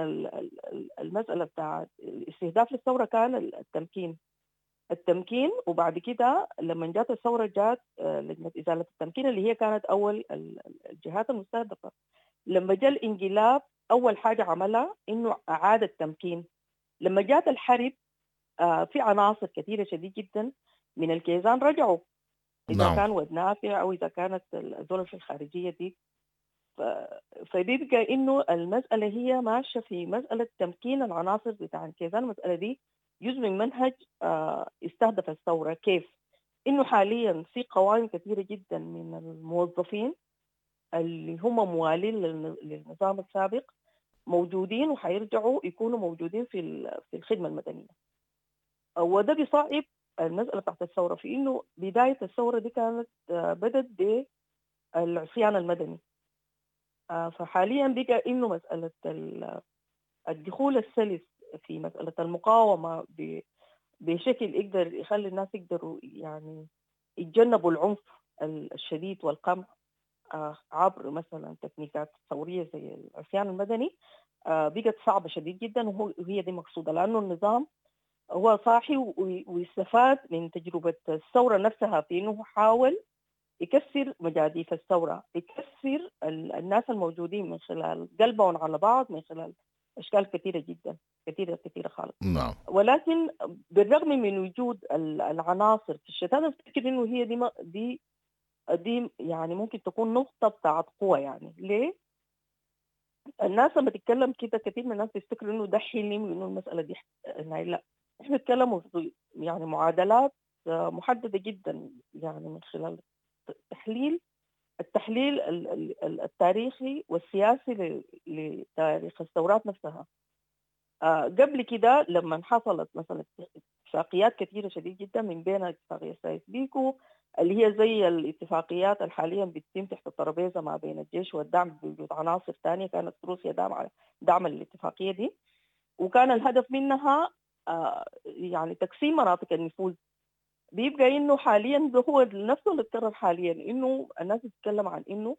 المسألة بتاعت الاستهداف للثورة كان التمكين التمكين وبعد كده لما جات الثورة جات لجنة إزالة التمكين اللي هي كانت أول الجهات المستهدفة. لما جاء الانقلاب أول حاجة عملها إنه أعاد التمكين. لما جات الحرب في عناصر كثيرة شديد جدا من الكيزان رجعوا، إذا نعم. كان ود نافع أو إذا كانت الدول في الخارجية دي. فبيبقى إنه المسألة هي ماشية في مسألة تمكين العناصر بتاع الكيزان. المسألة دي جزء من منهج استهدف الثورة. كيف؟ إنه حاليا في قوائم كثيرة جدا من الموظفين اللي هم موالين للنظام السابق موجودين وحيرجعوا يكونوا موجودين في في الخدمة المدنية، وده بيصعب المسألة بتاعت الثورة، في إنه بداية الثورة دي كانت بدت بالعصيان المدني. فحاليا بقى إنه مسألة الدخول السلس في مسألة المقاومة بشكل يقدر يخلي الناس يقدروا يعني يتجنبوا العنف الشديد والقمع عبر مثلا تكنيكات ثورية زي العصيان المدني بقت صعبة شديد جدا، وهي دي مقصودة، لأنه النظام هو صاحي ويستفاد من تجربة الثورة نفسها في إنه حاول يكسر مجاديف الثورة، يكسر الناس الموجودين من خلال قلبهم على بعض، من خلال أشكال كثيرة جدا كثيرة كثيرة خالص. نعم. ولكن بالرغم من وجود العناصر في الشتات، أنا أفتكر إنه هي دي دي دي يعني ممكن تكون نقطة بتاعت قوة. يعني ليه؟ الناس لما تتكلم كده كثير من الناس بيفتكروا إنه ده حلم وإنه المسألة دي لا، إحنا نتكلم يعني معادلات محددة جدا، يعني من خلال تحليل التحليل التاريخي والسياسي لتاريخ الثورات نفسها. قبل كده لما حصلت مثلا اتفاقيات كثيرة شديد جدا، من بينها اتفاقية سايس بيكو اللي هي زي الاتفاقيات الحاليا بتتم تحت الترابيزة ما بين الجيش والدعم بوجود عناصر ثانية، كانت روسيا دعم دعم الاتفاقية دي، وكان الهدف منها يعني تقسيم مناطق النفوذ. بيبقى إنه حاليا ده هو نفسه اللي اتكرر حاليا، إنه الناس تتكلم عن إنه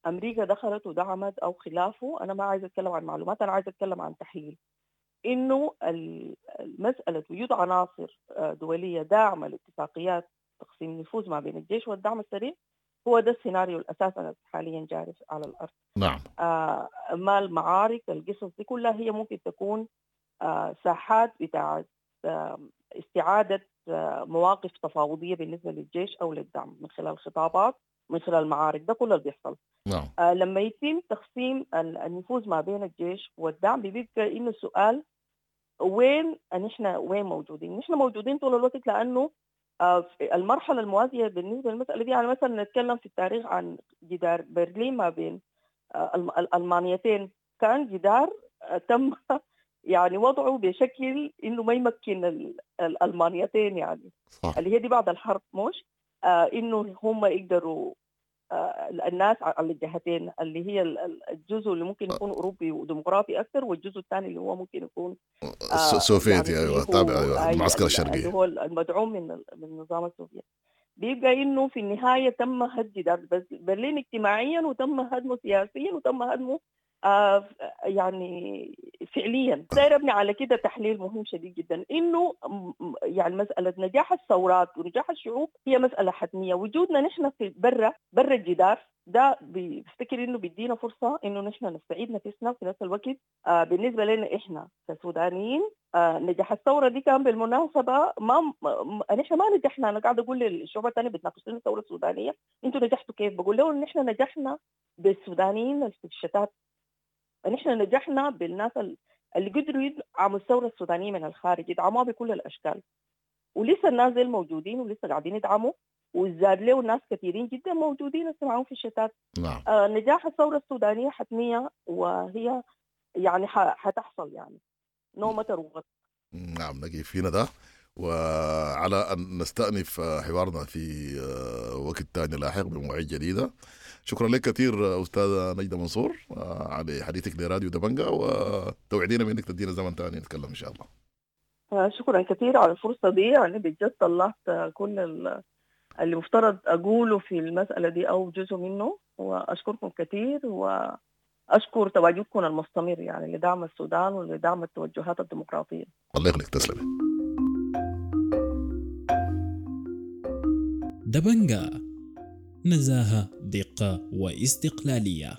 أمريكا دخلت ودعمت أو خلافه. أنا ما عايزة أتكلم عن معلومات، أنا عايزة أتكلم عن تحليل إنه المسألة وجود عناصر دولية داعمة لاتفاقيات تقسيم النفوذ ما بين الجيش والدعم السريع هو ده السيناريو الأساسي حاليا جاري على الأرض. نعم. آه ما المعارك القصص دي كلها هي ممكن تكون آه ساحات بتاعت آه استعادة آه مواقف تفاوضية بالنسبة للجيش أو للدعم من خلال خطابات، من خلال معارك، ده كله اللي بيحصل. نعم. آه لما يتم تقسيم النفوذ ما بين الجيش والدعم بيبقى إنه السؤال وين نحن، وين موجودين؟ نحن موجودين طول الوقت، لأنه آه المرحلة الموازية بالنسبة للمسألة دي، يعني مثلا نتكلم في التاريخ عن جدار برلين ما بين آه الألمانيتين، كان جدار آه تم يعني وضعه بشكل إنه ما يمكن الألمانيتين، يعني صح. اللي هي دي بعد الحرب مش آه إنه هم يقدروا آه الناس على الجهتين، اللي هي الجزء اللي ممكن يكون أوروبي وديمقراطي أكثر، والجزء الثاني اللي هو ممكن يكون آه سوفيتي، يعني أيوة تابع، أيوة المعسكر الشرقي اللي هو المدعوم من من النظام السوفيتي. بيبقى إنه في النهاية تم هد جدار برلين اجتماعيا، وتم هدمه سياسيا، وتم هدمه آه يعني فعليا. داير ابني على كده تحليل مهم شديد جدا، انه يعني مسألة نجاح الثورات ونجاح الشعوب هي مسألة حتمية. وجودنا نحن في برا برا الجدار ده بفتكر انه بيدينا فرصة انه نحن نستعيد نفسنا في نفس الوقت. آه بالنسبة لنا احنا كسودانيين آه نجاح الثورة دي كان بالمناسبة ما نحن ما نجحنا. انا قاعدة اقول للشعوب الثانية بتناقش لنا الثورة السودانية، انتوا نجحتوا كيف؟ بقول لهم نحن نجحنا بالسودانيين في الشتات، نحن نجحنا بالناس اللي قدروا يدعموا الثورة السودانية من الخارج، يدعموها بكل الأشكال، ولسه الناس دي موجودين ولسه قاعدين يدعموا، وزاد له ناس كثيرين جدا موجودين لسه معاهم في الشتات. نعم. آه نجاح الثورة السودانية حتمية، وهي يعني حتحصل يعني no matter what. نعم، نقف فينا ده، وعلى أن نستأنف حوارنا في وقت تاني لاحق بمواعيد جديدة. شكرا لك كثير أستاذة نجدة منصور على حديثك لراديو دبنجا، وتوعدينا بأنك تدينا زمن تاني نتكلم إن شاء الله. شكرا كثير على الفرصة دي، يعني بجد طلعت كل اللي مفترض أقوله في المسألة دي أو جزء منه، وأشكركم كثير، وأشكر تواجدكم المستمر يعني لدعم السودان ولدعم التوجهات الديمقراطية. الله يخليك، تسلمي. دبنجا، نزاهة، دقة واستقلالية.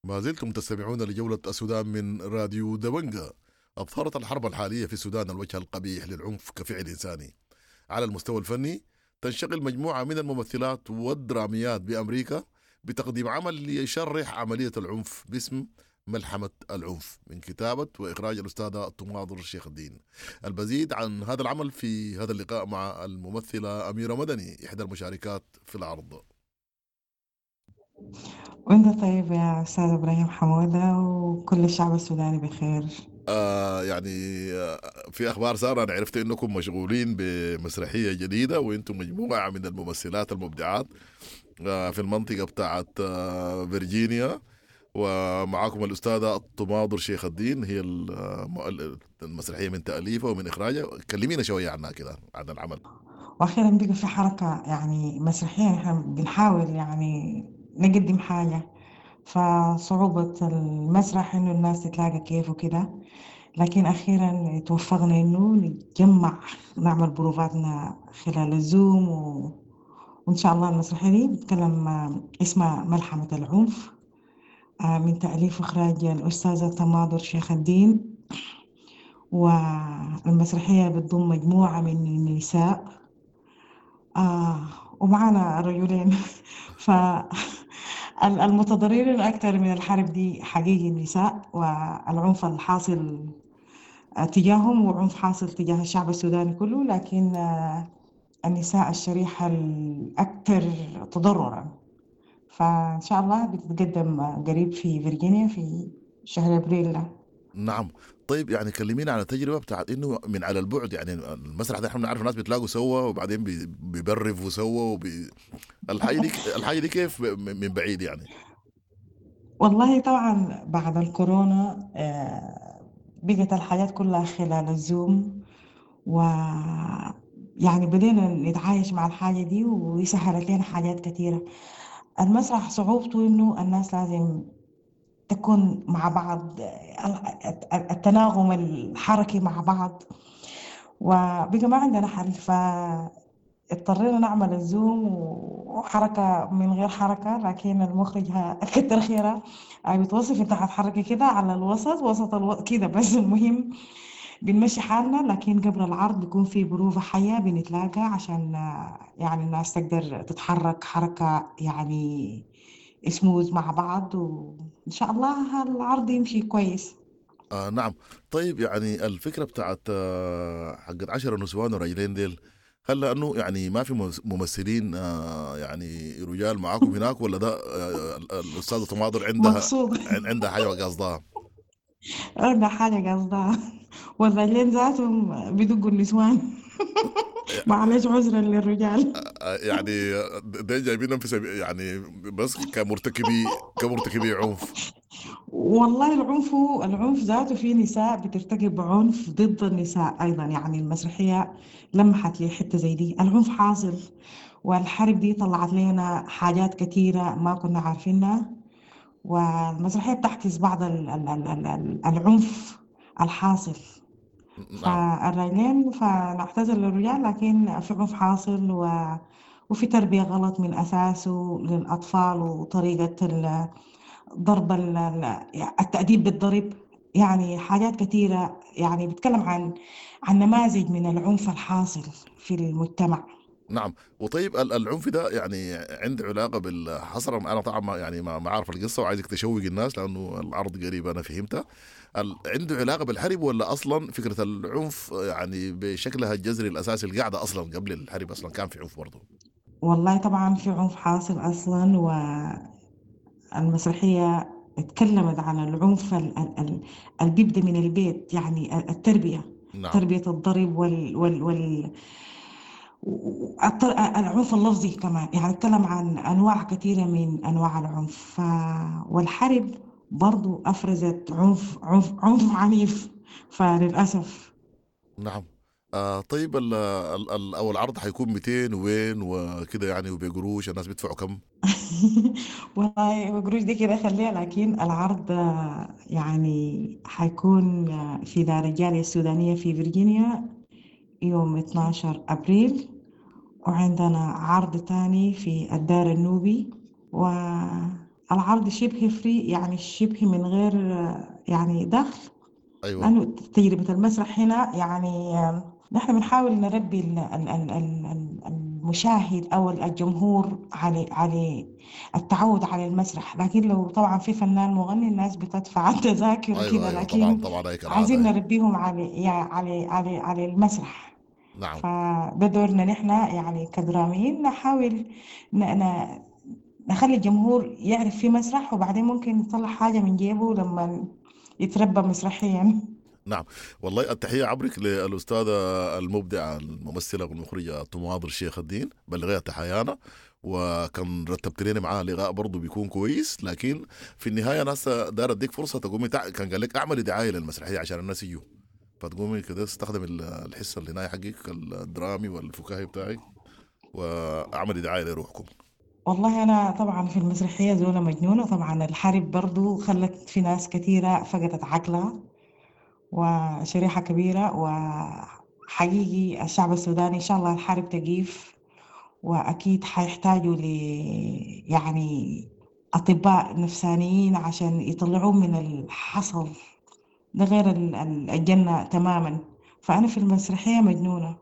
ما زلتم تستمعون لجولة السودان من راديو دبنجا. أظهرت الحرب الحالية في السودان الوجه القبيح للعنف كفعل إنساني. على المستوى الفني تنشغل مجموعة من الممثلات والدراميات بأمريكا بتقديم عمل ليشرح عملية العنف باسم ملحمة العنف، من كتابة وإخراج الأستاذة تماضر شيخ الدين. المزيد عن هذا العمل في هذا اللقاء مع الممثلة أميرة مدني، إحدى المشاركات في العرض. وانت طيب يا أستاذ إبراهيم حمودة، وكل الشعب السوداني بخير. آه يعني آه في أخبار سارة، أنا عرفت إنكم مشغولين بمسرحية جديدة وإنتم مجموعة من الممثلات المبدعات آه في المنطقة بتاعت آه فيرجينيا، ومعاكم الأستاذة تماضر شيخ الدين، هي المسرحية من تأليفها ومن إخراجها. كلمينا شوية عنها كده، عن العمل. وأخيرا بقى في حركة يعني مسرحية، نحن بنحاول يعني نقدم حاجة، فصعوبة المسرح إنه الناس تتلاقى كيف وكده، لكن أخيرا توفقنا إنه نتجمع نعمل بروفاتنا خلال الزوم و... وإن شاء الله المسرحية دي بتتكلم اسمها ملحمة العنف، من تأليف وإخراج الأستاذة تماضر شيخ الدين. والمسرحية بتضم مجموعة من النساء آه ومعنا رجلين فالمتضررين الأكثر من الحرب دي حقيقي النساء، والعنف الحاصل تجاههم وعنف حاصل تجاه الشعب السوداني كله، لكن النساء الشريحة الأكثر تضررا. فإن شاء الله بتتقدم قريب في فيرجينيا في شهر أبريل. نعم. طيب يعني كلمينا على تجربة بتاعت إنه من على البعد، يعني المسرح ده إحنا بنعرف الناس بيتلاقوا سوا وبعدين بيبرفوا سوا وبي... الحاجة دي الحاجة دي كيف من بعيد يعني؟ والله طبعا بعد الكورونا بقت الحاجات كلها خلال الزوم، و يعني بدينا نتعايش مع الحاجة دي وسهلت لنا حاجات كثيرة. المسرح صعوبته إنه الناس لازم تكون مع بعض، التناغم الحركي مع بعض، وبقى ما عندنا حل، فاضطرينا نعمل الزوم وحركة من غير حركة. لكن المخرج كتر خيره بيتوصف انت هتحركي كده على الوسط وسط الو... كده بس، المهم بنمشي حالنا. لكن قبل العرض بيكون في بروفة حية بنتلاقى عشان يعني الناس تقدر تتحرك حركة يعني سموز مع بعض، وإن شاء الله العرض يمشي كويس. آه نعم. طيب يعني الفكرة بتاعت حقت عشرة نسوان ورجلين ديل، هل لأنه يعني ما في ممثلين آه يعني رجال معاكم هناك، ولا ده آه الأستاذة تماضر عندها مقصود عندها حاجة قصدها؟ عندها حاجة قصدها، والرجلين ذاتهم بيدقوا النسوان. معلش عذرا للرجال. يعني ده جايبينهم في سبي يعني بس كمرتكبي كمرتكبي عنف. والله العنف العنف ذاته في نساء بترتكب عنف ضد النساء ايضا، يعني المسرحيه لمحت لي حته زي دي. العنف حاصل، والحرب دي طلعت لنا حاجات كثيره ما كنا عارفينها، والمسرحيه بتعكس بعض ال ال ال ال العنف الحاصل. فالرجلين فنعتذر للرجال، لكن في عنف حاصل و... وفي تربية غلط من أساسه للأطفال، وطريقة ضرب التأديب بالضرب، يعني حاجات كثيرة. يعني بتكلم عن عن نماذج من العنف الحاصل في المجتمع. نعم. وطيب العنف ده يعني عنده علاقة بالحصر؟ أنا طبعا يعني ما عارف القصة وعايزك تشوق الناس لأنه العرض قريب أنا فهمتها. عنده علاقة بالحرب ولا أصلا فكرة العنف يعني بشكلها الجذري الأساسي القاعدة أصلا قبل الحرب أصلا كان في عنف برضه؟ والله طبعا في عنف حاصل أصلا، والمسرحية اتكلمت عن العنف اللي بيبدأ من البيت، يعني التربية. نعم. تربية الضرب وال وال, وال العنف اللفظي كمان، يعني اتكلم عن أنواع كثيرة من أنواع العنف. والحرب برضو أفرزت عنف عنف عنف عنيف فللأسف. نعم. آه طيب ال ال أو العرض حيكون مئتين وين وكده يعني، وبقروش الناس بيدفعوا كم؟ والله بقروش دي كده خليها، لكن العرض يعني حيكون في دار الجالية السودانية في فيرجينيا يوم اثناشر أبريل، وعندنا عرض تاني في الدار النوبي، والعرض شبه free، يعني شبه من غير يعني دخل. أيوة. لأنه تجربة المسرح هنا يعني نحن بنحاول نربي المشاهد أو الجمهور على على التعود على المسرح، لكن لو طبعا في فنان مغني الناس بتدفع التذاكر أيوة كده. أيوة لكن طبعا طبعا عايزين نربيهم على على على على المسرح. نعم. فده دورنا نحن يعني كدراميين، نحاول ن... نخلي الجمهور يعرف في مسرح، وبعدين ممكن يطلع حاجة من جيبه لما يتربى مسرحيا. نعم والله التحية عبرك للأستاذة المبدعة الممثلة والمخرجة تماضر شيخ الدين، بلغيها تحيانا، وكان رتبت لنا معاه لقاء برضه بيكون كويس. لكن في النهاية ناس دار اديك فرصة تقومي تع... كان قال لك اعملي دعاية للمسرحية عشان الناس يجوا، فتقومي كده تستخدم الحصة اللي هنا حقك الدرامي والفكاهي بتاعك واعملي دعاية لروحكم. والله أنا طبعا في المسرحية زولة مجنونة، طبعا الحرب برضو خلت في ناس كثيرة فقدت عقلها وشريحة كبيرة، وحقيقي الشعب السوداني إن شاء الله الحرب تقيف، وأكيد حيحتاجوا ل يعني أطباء نفسانيين عشان يطلعوه من الحصل ده، غير الجنة تماما. فأنا في المسرحية مجنونة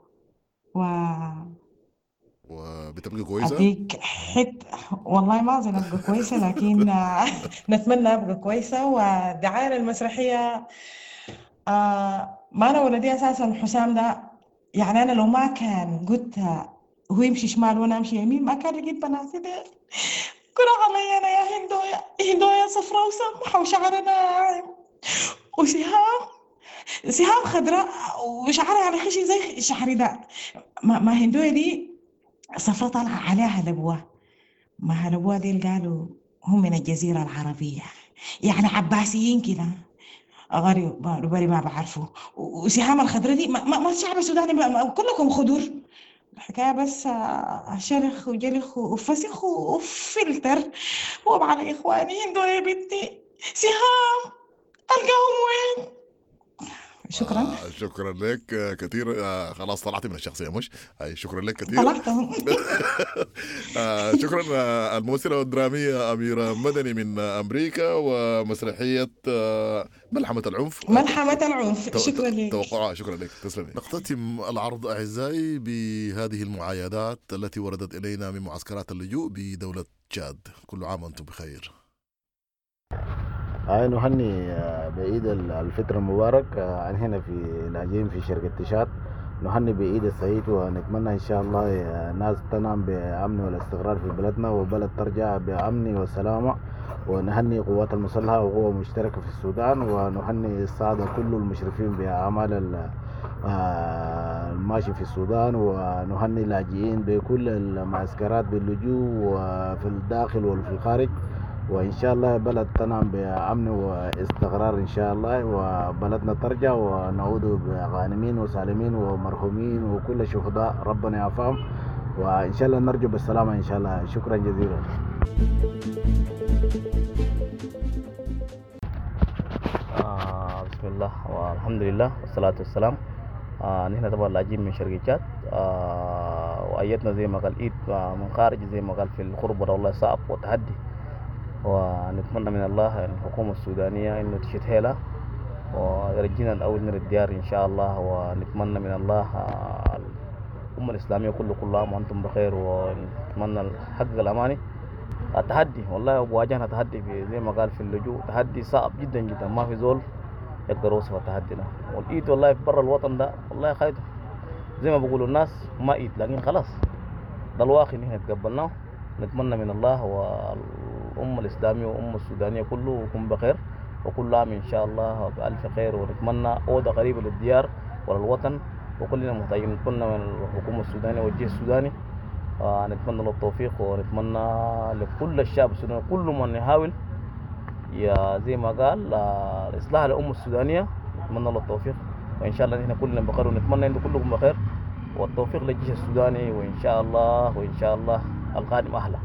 و وبتبقي كويسة؟ أديك حت والله ما أظن أبقى كويسة، لكن نتمنى أبقى كويسة. ودعاية للمسرحية آه ما أنا ولدي أساسا حسام ده، يعني أنا لو ما كان قلت هو يمشي شمال وأنا أمشي يمين ما كان لقيت بناتي ديل. كرة علي أنا يا هندويا، هندويا صفراء وسمحة وشعرها ناعم، وسهام سهام خضراء وشعرها على خشي زي شعري ده. ما, ما هندويا دي صفراء طالعة عليها هلبوة، ما هلبوة دي قالوا هم من الجزيرة العربية، يعني عباسيين كده غريب بري ما بعرفه. وسهام الخضراء دي ما, ما الشعب السوداني ما كلكم خضر، الحكاية بس شرخ وجلخ وفسخ وفلتر. وعلى إخواني هندو يا بنتي سهام ألقاهم وين؟ شكرا. آه شكرا لك كثير. آه خلاص طلعتي من الشخصية مش؟ أي شكرا لك كثير. طلعتهم. آه شكرا الممثلة الدرامية أميرة مدني من أمريكا ومسرحية آه ملحمة العنف. ملحمة العنف. شكرا لك. توقعها. شكرا لك، تسلمي. نختتم العرض أعزائي بهذه المعايدات التي وردت إلينا من معسكرات اللجوء بدولة تشاد. كل عام وأنتم بخير. هاي نهني بعيد الفطر المبارك عن هنا في لاجئين في شركة تشاد، نهني بعيد السعيد، ونتمنى إن شاء الله الناس تنام بأمن والاستقرار في بلدنا، وبلد ترجع بأمن وسلامة. ونهني قوات المسلحة وقوة مشتركة في السودان، ونهني السادة كل المشرفين بأعمال الماشي في السودان، ونهني اللاجئين بكل المعسكرات باللجوء وفي الداخل وفي الخارج. وإن شاء الله بلد تنام بأمن واستقرار إن شاء الله، وبلدنا ترجع ونعود بغانمين وسالمين ومرحومين وكل شهداء ربنا يعفهم، وإن شاء الله نرجو بالسلامة إن شاء الله. شكرا جزيلا. آه بسم الله والحمد لله والصلاة والسلام. آه نحن طبعا لاجئين من شرق تشاد، آه وأيتنا زي ما قال إيد من خارج زي ما قال في الغربة والله صعب وتحدي، ونتمنى من الله الحكومة السودانية إنه تشد حيلها ويرجينا الأول من الديار إن شاء الله. ونتمنى من الله الأمة الإسلامية كله كل عام وأنتم بخير، ونتمنى الحق الأماني. التحدي والله واجهنا تحدي في زي ما قال في اللجوء، تحدي صعب جدا جدا، ما في زول يقدر يوصف التحدي ده. والإيد والله في برا الوطن ده والله خايته زي ما بيقولوا الناس ما إيد، لكن خلاص ده الواقع اللي احنا تقبلناه. نتمنى من الله والأمة الإسلامية والأمة السودانية كله يكون بخير، وكل عام إن شاء الله بألف خير، ونتمنى عودة قريبة للديار وللوطن، وكلنا محتاجين. نتمنى من الحكومة السودانية والجيش السوداني آه نتمنى له التوفيق، ونتمنى لكل الشعب السوداني كل من يحاول يا زي ما قال آه إصلاح الأمة السودانية، نتمنى له التوفيق، وإن شاء الله نحن كلنا بخير، ونتمنى أنتم كلكم بخير، والتوفيق للجيش السوداني، وإن شاء الله وإن شاء الله القادم أحلى.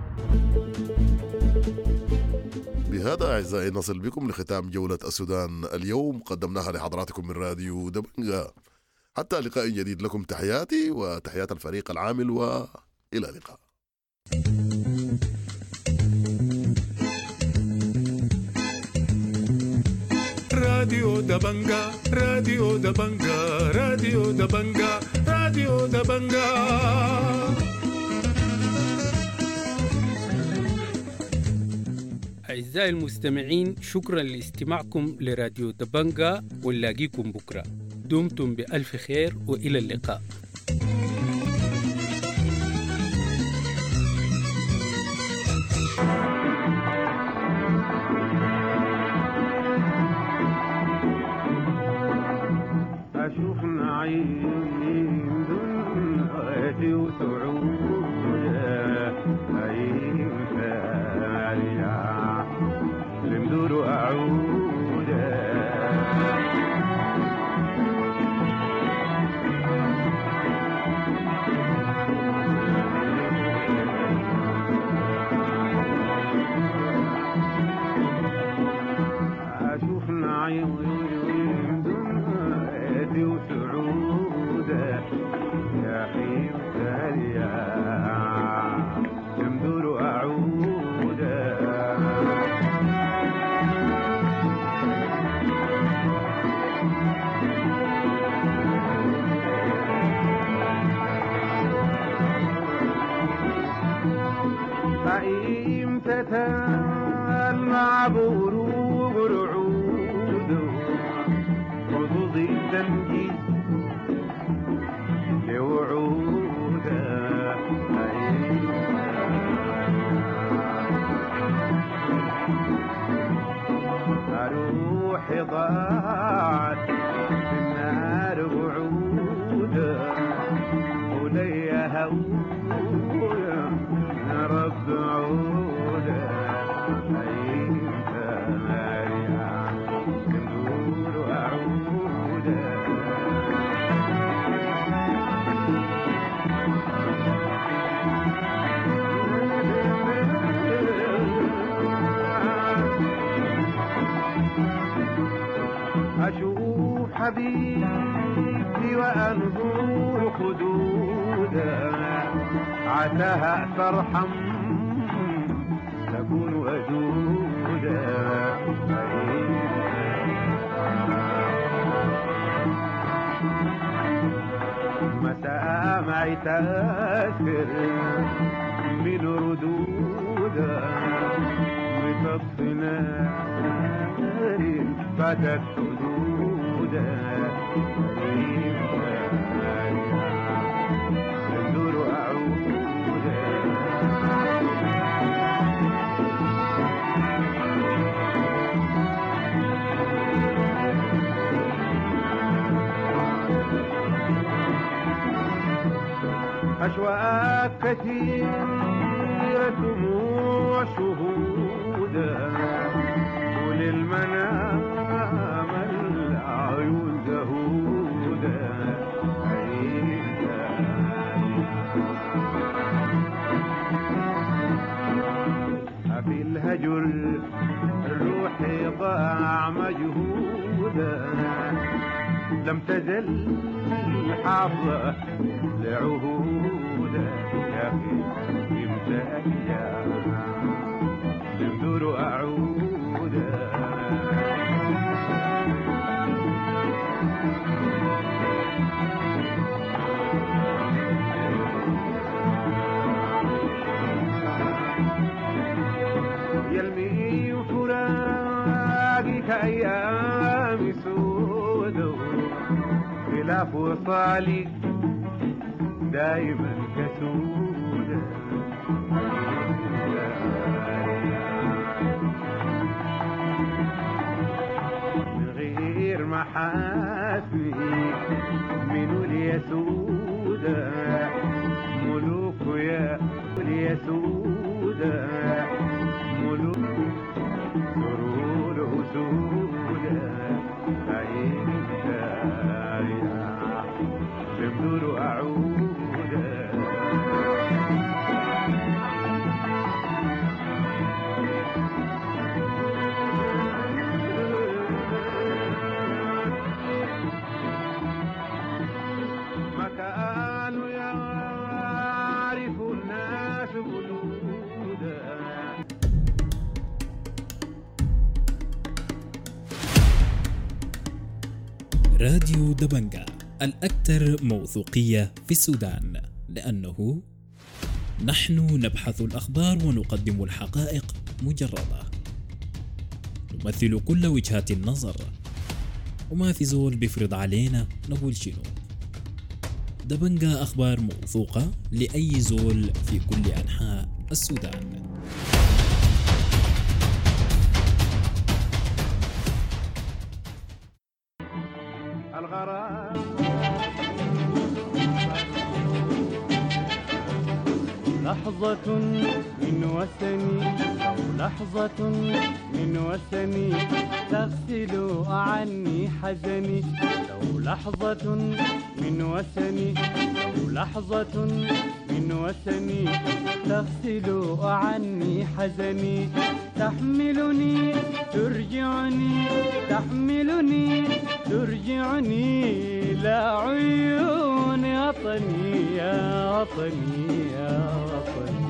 بهذا أعزائي نصل بكم لختام جولة السودان اليوم، قدمناها لحضراتكم من راديو دبنجا. حتى لقاء جديد، لكم تحياتي وتحيات الفريق العامل، وإلى اللقاء. راديو دبنجا، راديو دبنجا، راديو دبنجا، راديو دبنجا. أعزائي المستمعين، شكرا لاستماعكم لراديو دبنجا، ونلاقيكم بكرة. دمتم بألف خير وإلى اللقاء. أشوف نعيم دنيتي وسعودة أيم ثانية لمدور أعودة أشوف نعيم دنيتي وسعودة يا أخي وتاليا تمدور أعودة قيمتها مع بروق رعود حظوظ التمجيد لوعود روحي ضاعت في النار وعوده وليا هويا يا رب عوده أيمتى أرجع لمدور أعوده أشوف حبيبتي وأنظر خدودا عساها ترحم تكون ودودا مسامعي تسكر من ردودا بطف نار فتت حدودا تندور أعودا أشواق كثيرة دموع شهودا وللمنام العيون زهودا في الهجر الروح ضاع مجهودا لم تزل حافظة لعهودا يا أخي إمتى لمدور أعودا يلمي فراقك أيام سود خلاف وصالي دايما كسودة من غير محاسني من اليسودة ملوك يا اليسودة ملوك سرور أسودة عين تمدور أعودا ما كانوا يعرف الناس بلودا راديو دبنجا الأكثر موثوقية في السودان، لأنه نحن نبحث الأخبار ونقدم الحقائق مجردة، نمثل كل وجهات النظر، وما في زول بيفرض علينا نقول شنو. دبنجا أخبار موثوقة لأي زول في كل أنحاء السودان. غرام. لحظة من وثني، لو لحظة من وثني تغسل عني حزني، لو لحظة من وثني، لو لحظة من وثني تغسل عني حزني، تحملني ترجعني، تحملني ترجعني لا عيون وطني يا وطني يا وطني.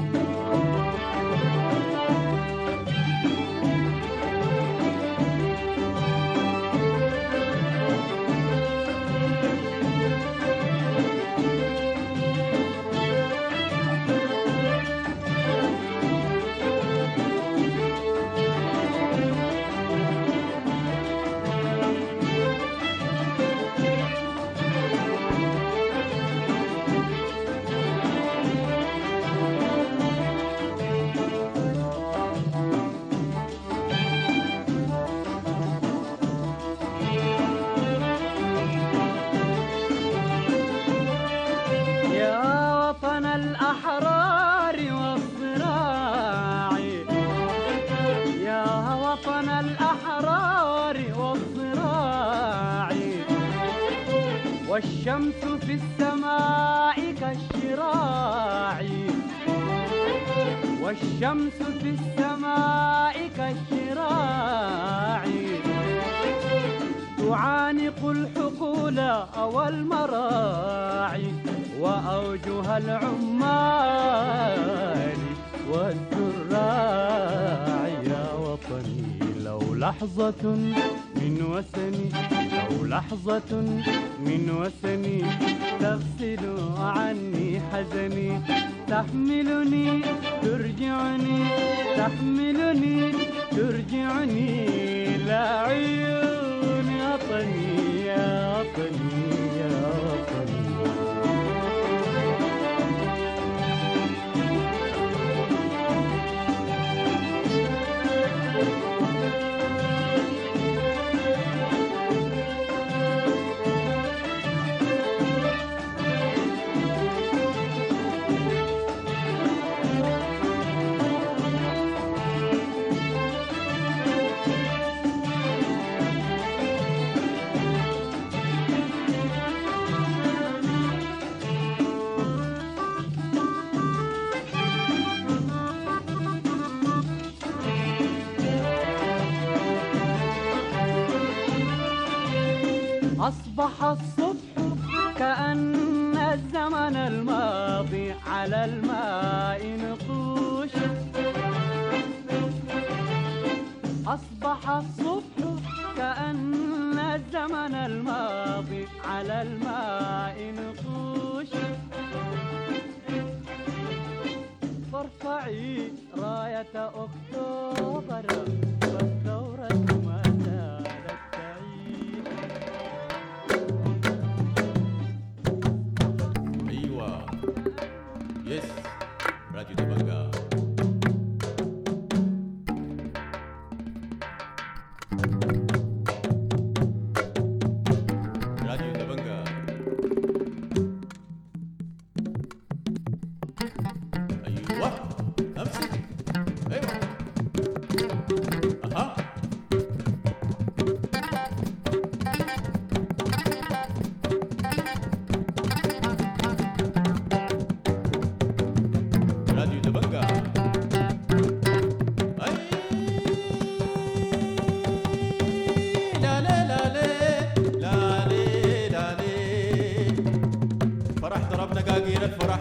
الأحرار والصراع، يا وطن الأحرار والصراع، والشمس في السماء كالشراع، والشمس في السماء كالشراع، تعانق الحقول والمراعي وأوجه العمال والزراع. يا وطني لو لحظة من وثني، لو لحظة من وثني تغسل عني حزني، تحملني ترجعني، تحملني ترجعني لا عيون وطني يا وطني يا وطني. أصبح الصبح كأن الزمن الماضي على الماء نقوش، أصبح الصبح كأن الزمن الماضي على الماء نقوش، فارفعي راية أكتوبر والثورة ما زالت تعيش. أيوة يس راديو دبنجا. راديو دبنجا. أيوة أمسك. أيوة أها. راديو دبنجا. أي لا لا لا لا لا لا لا. فرح ضربنا قاقير الفرح.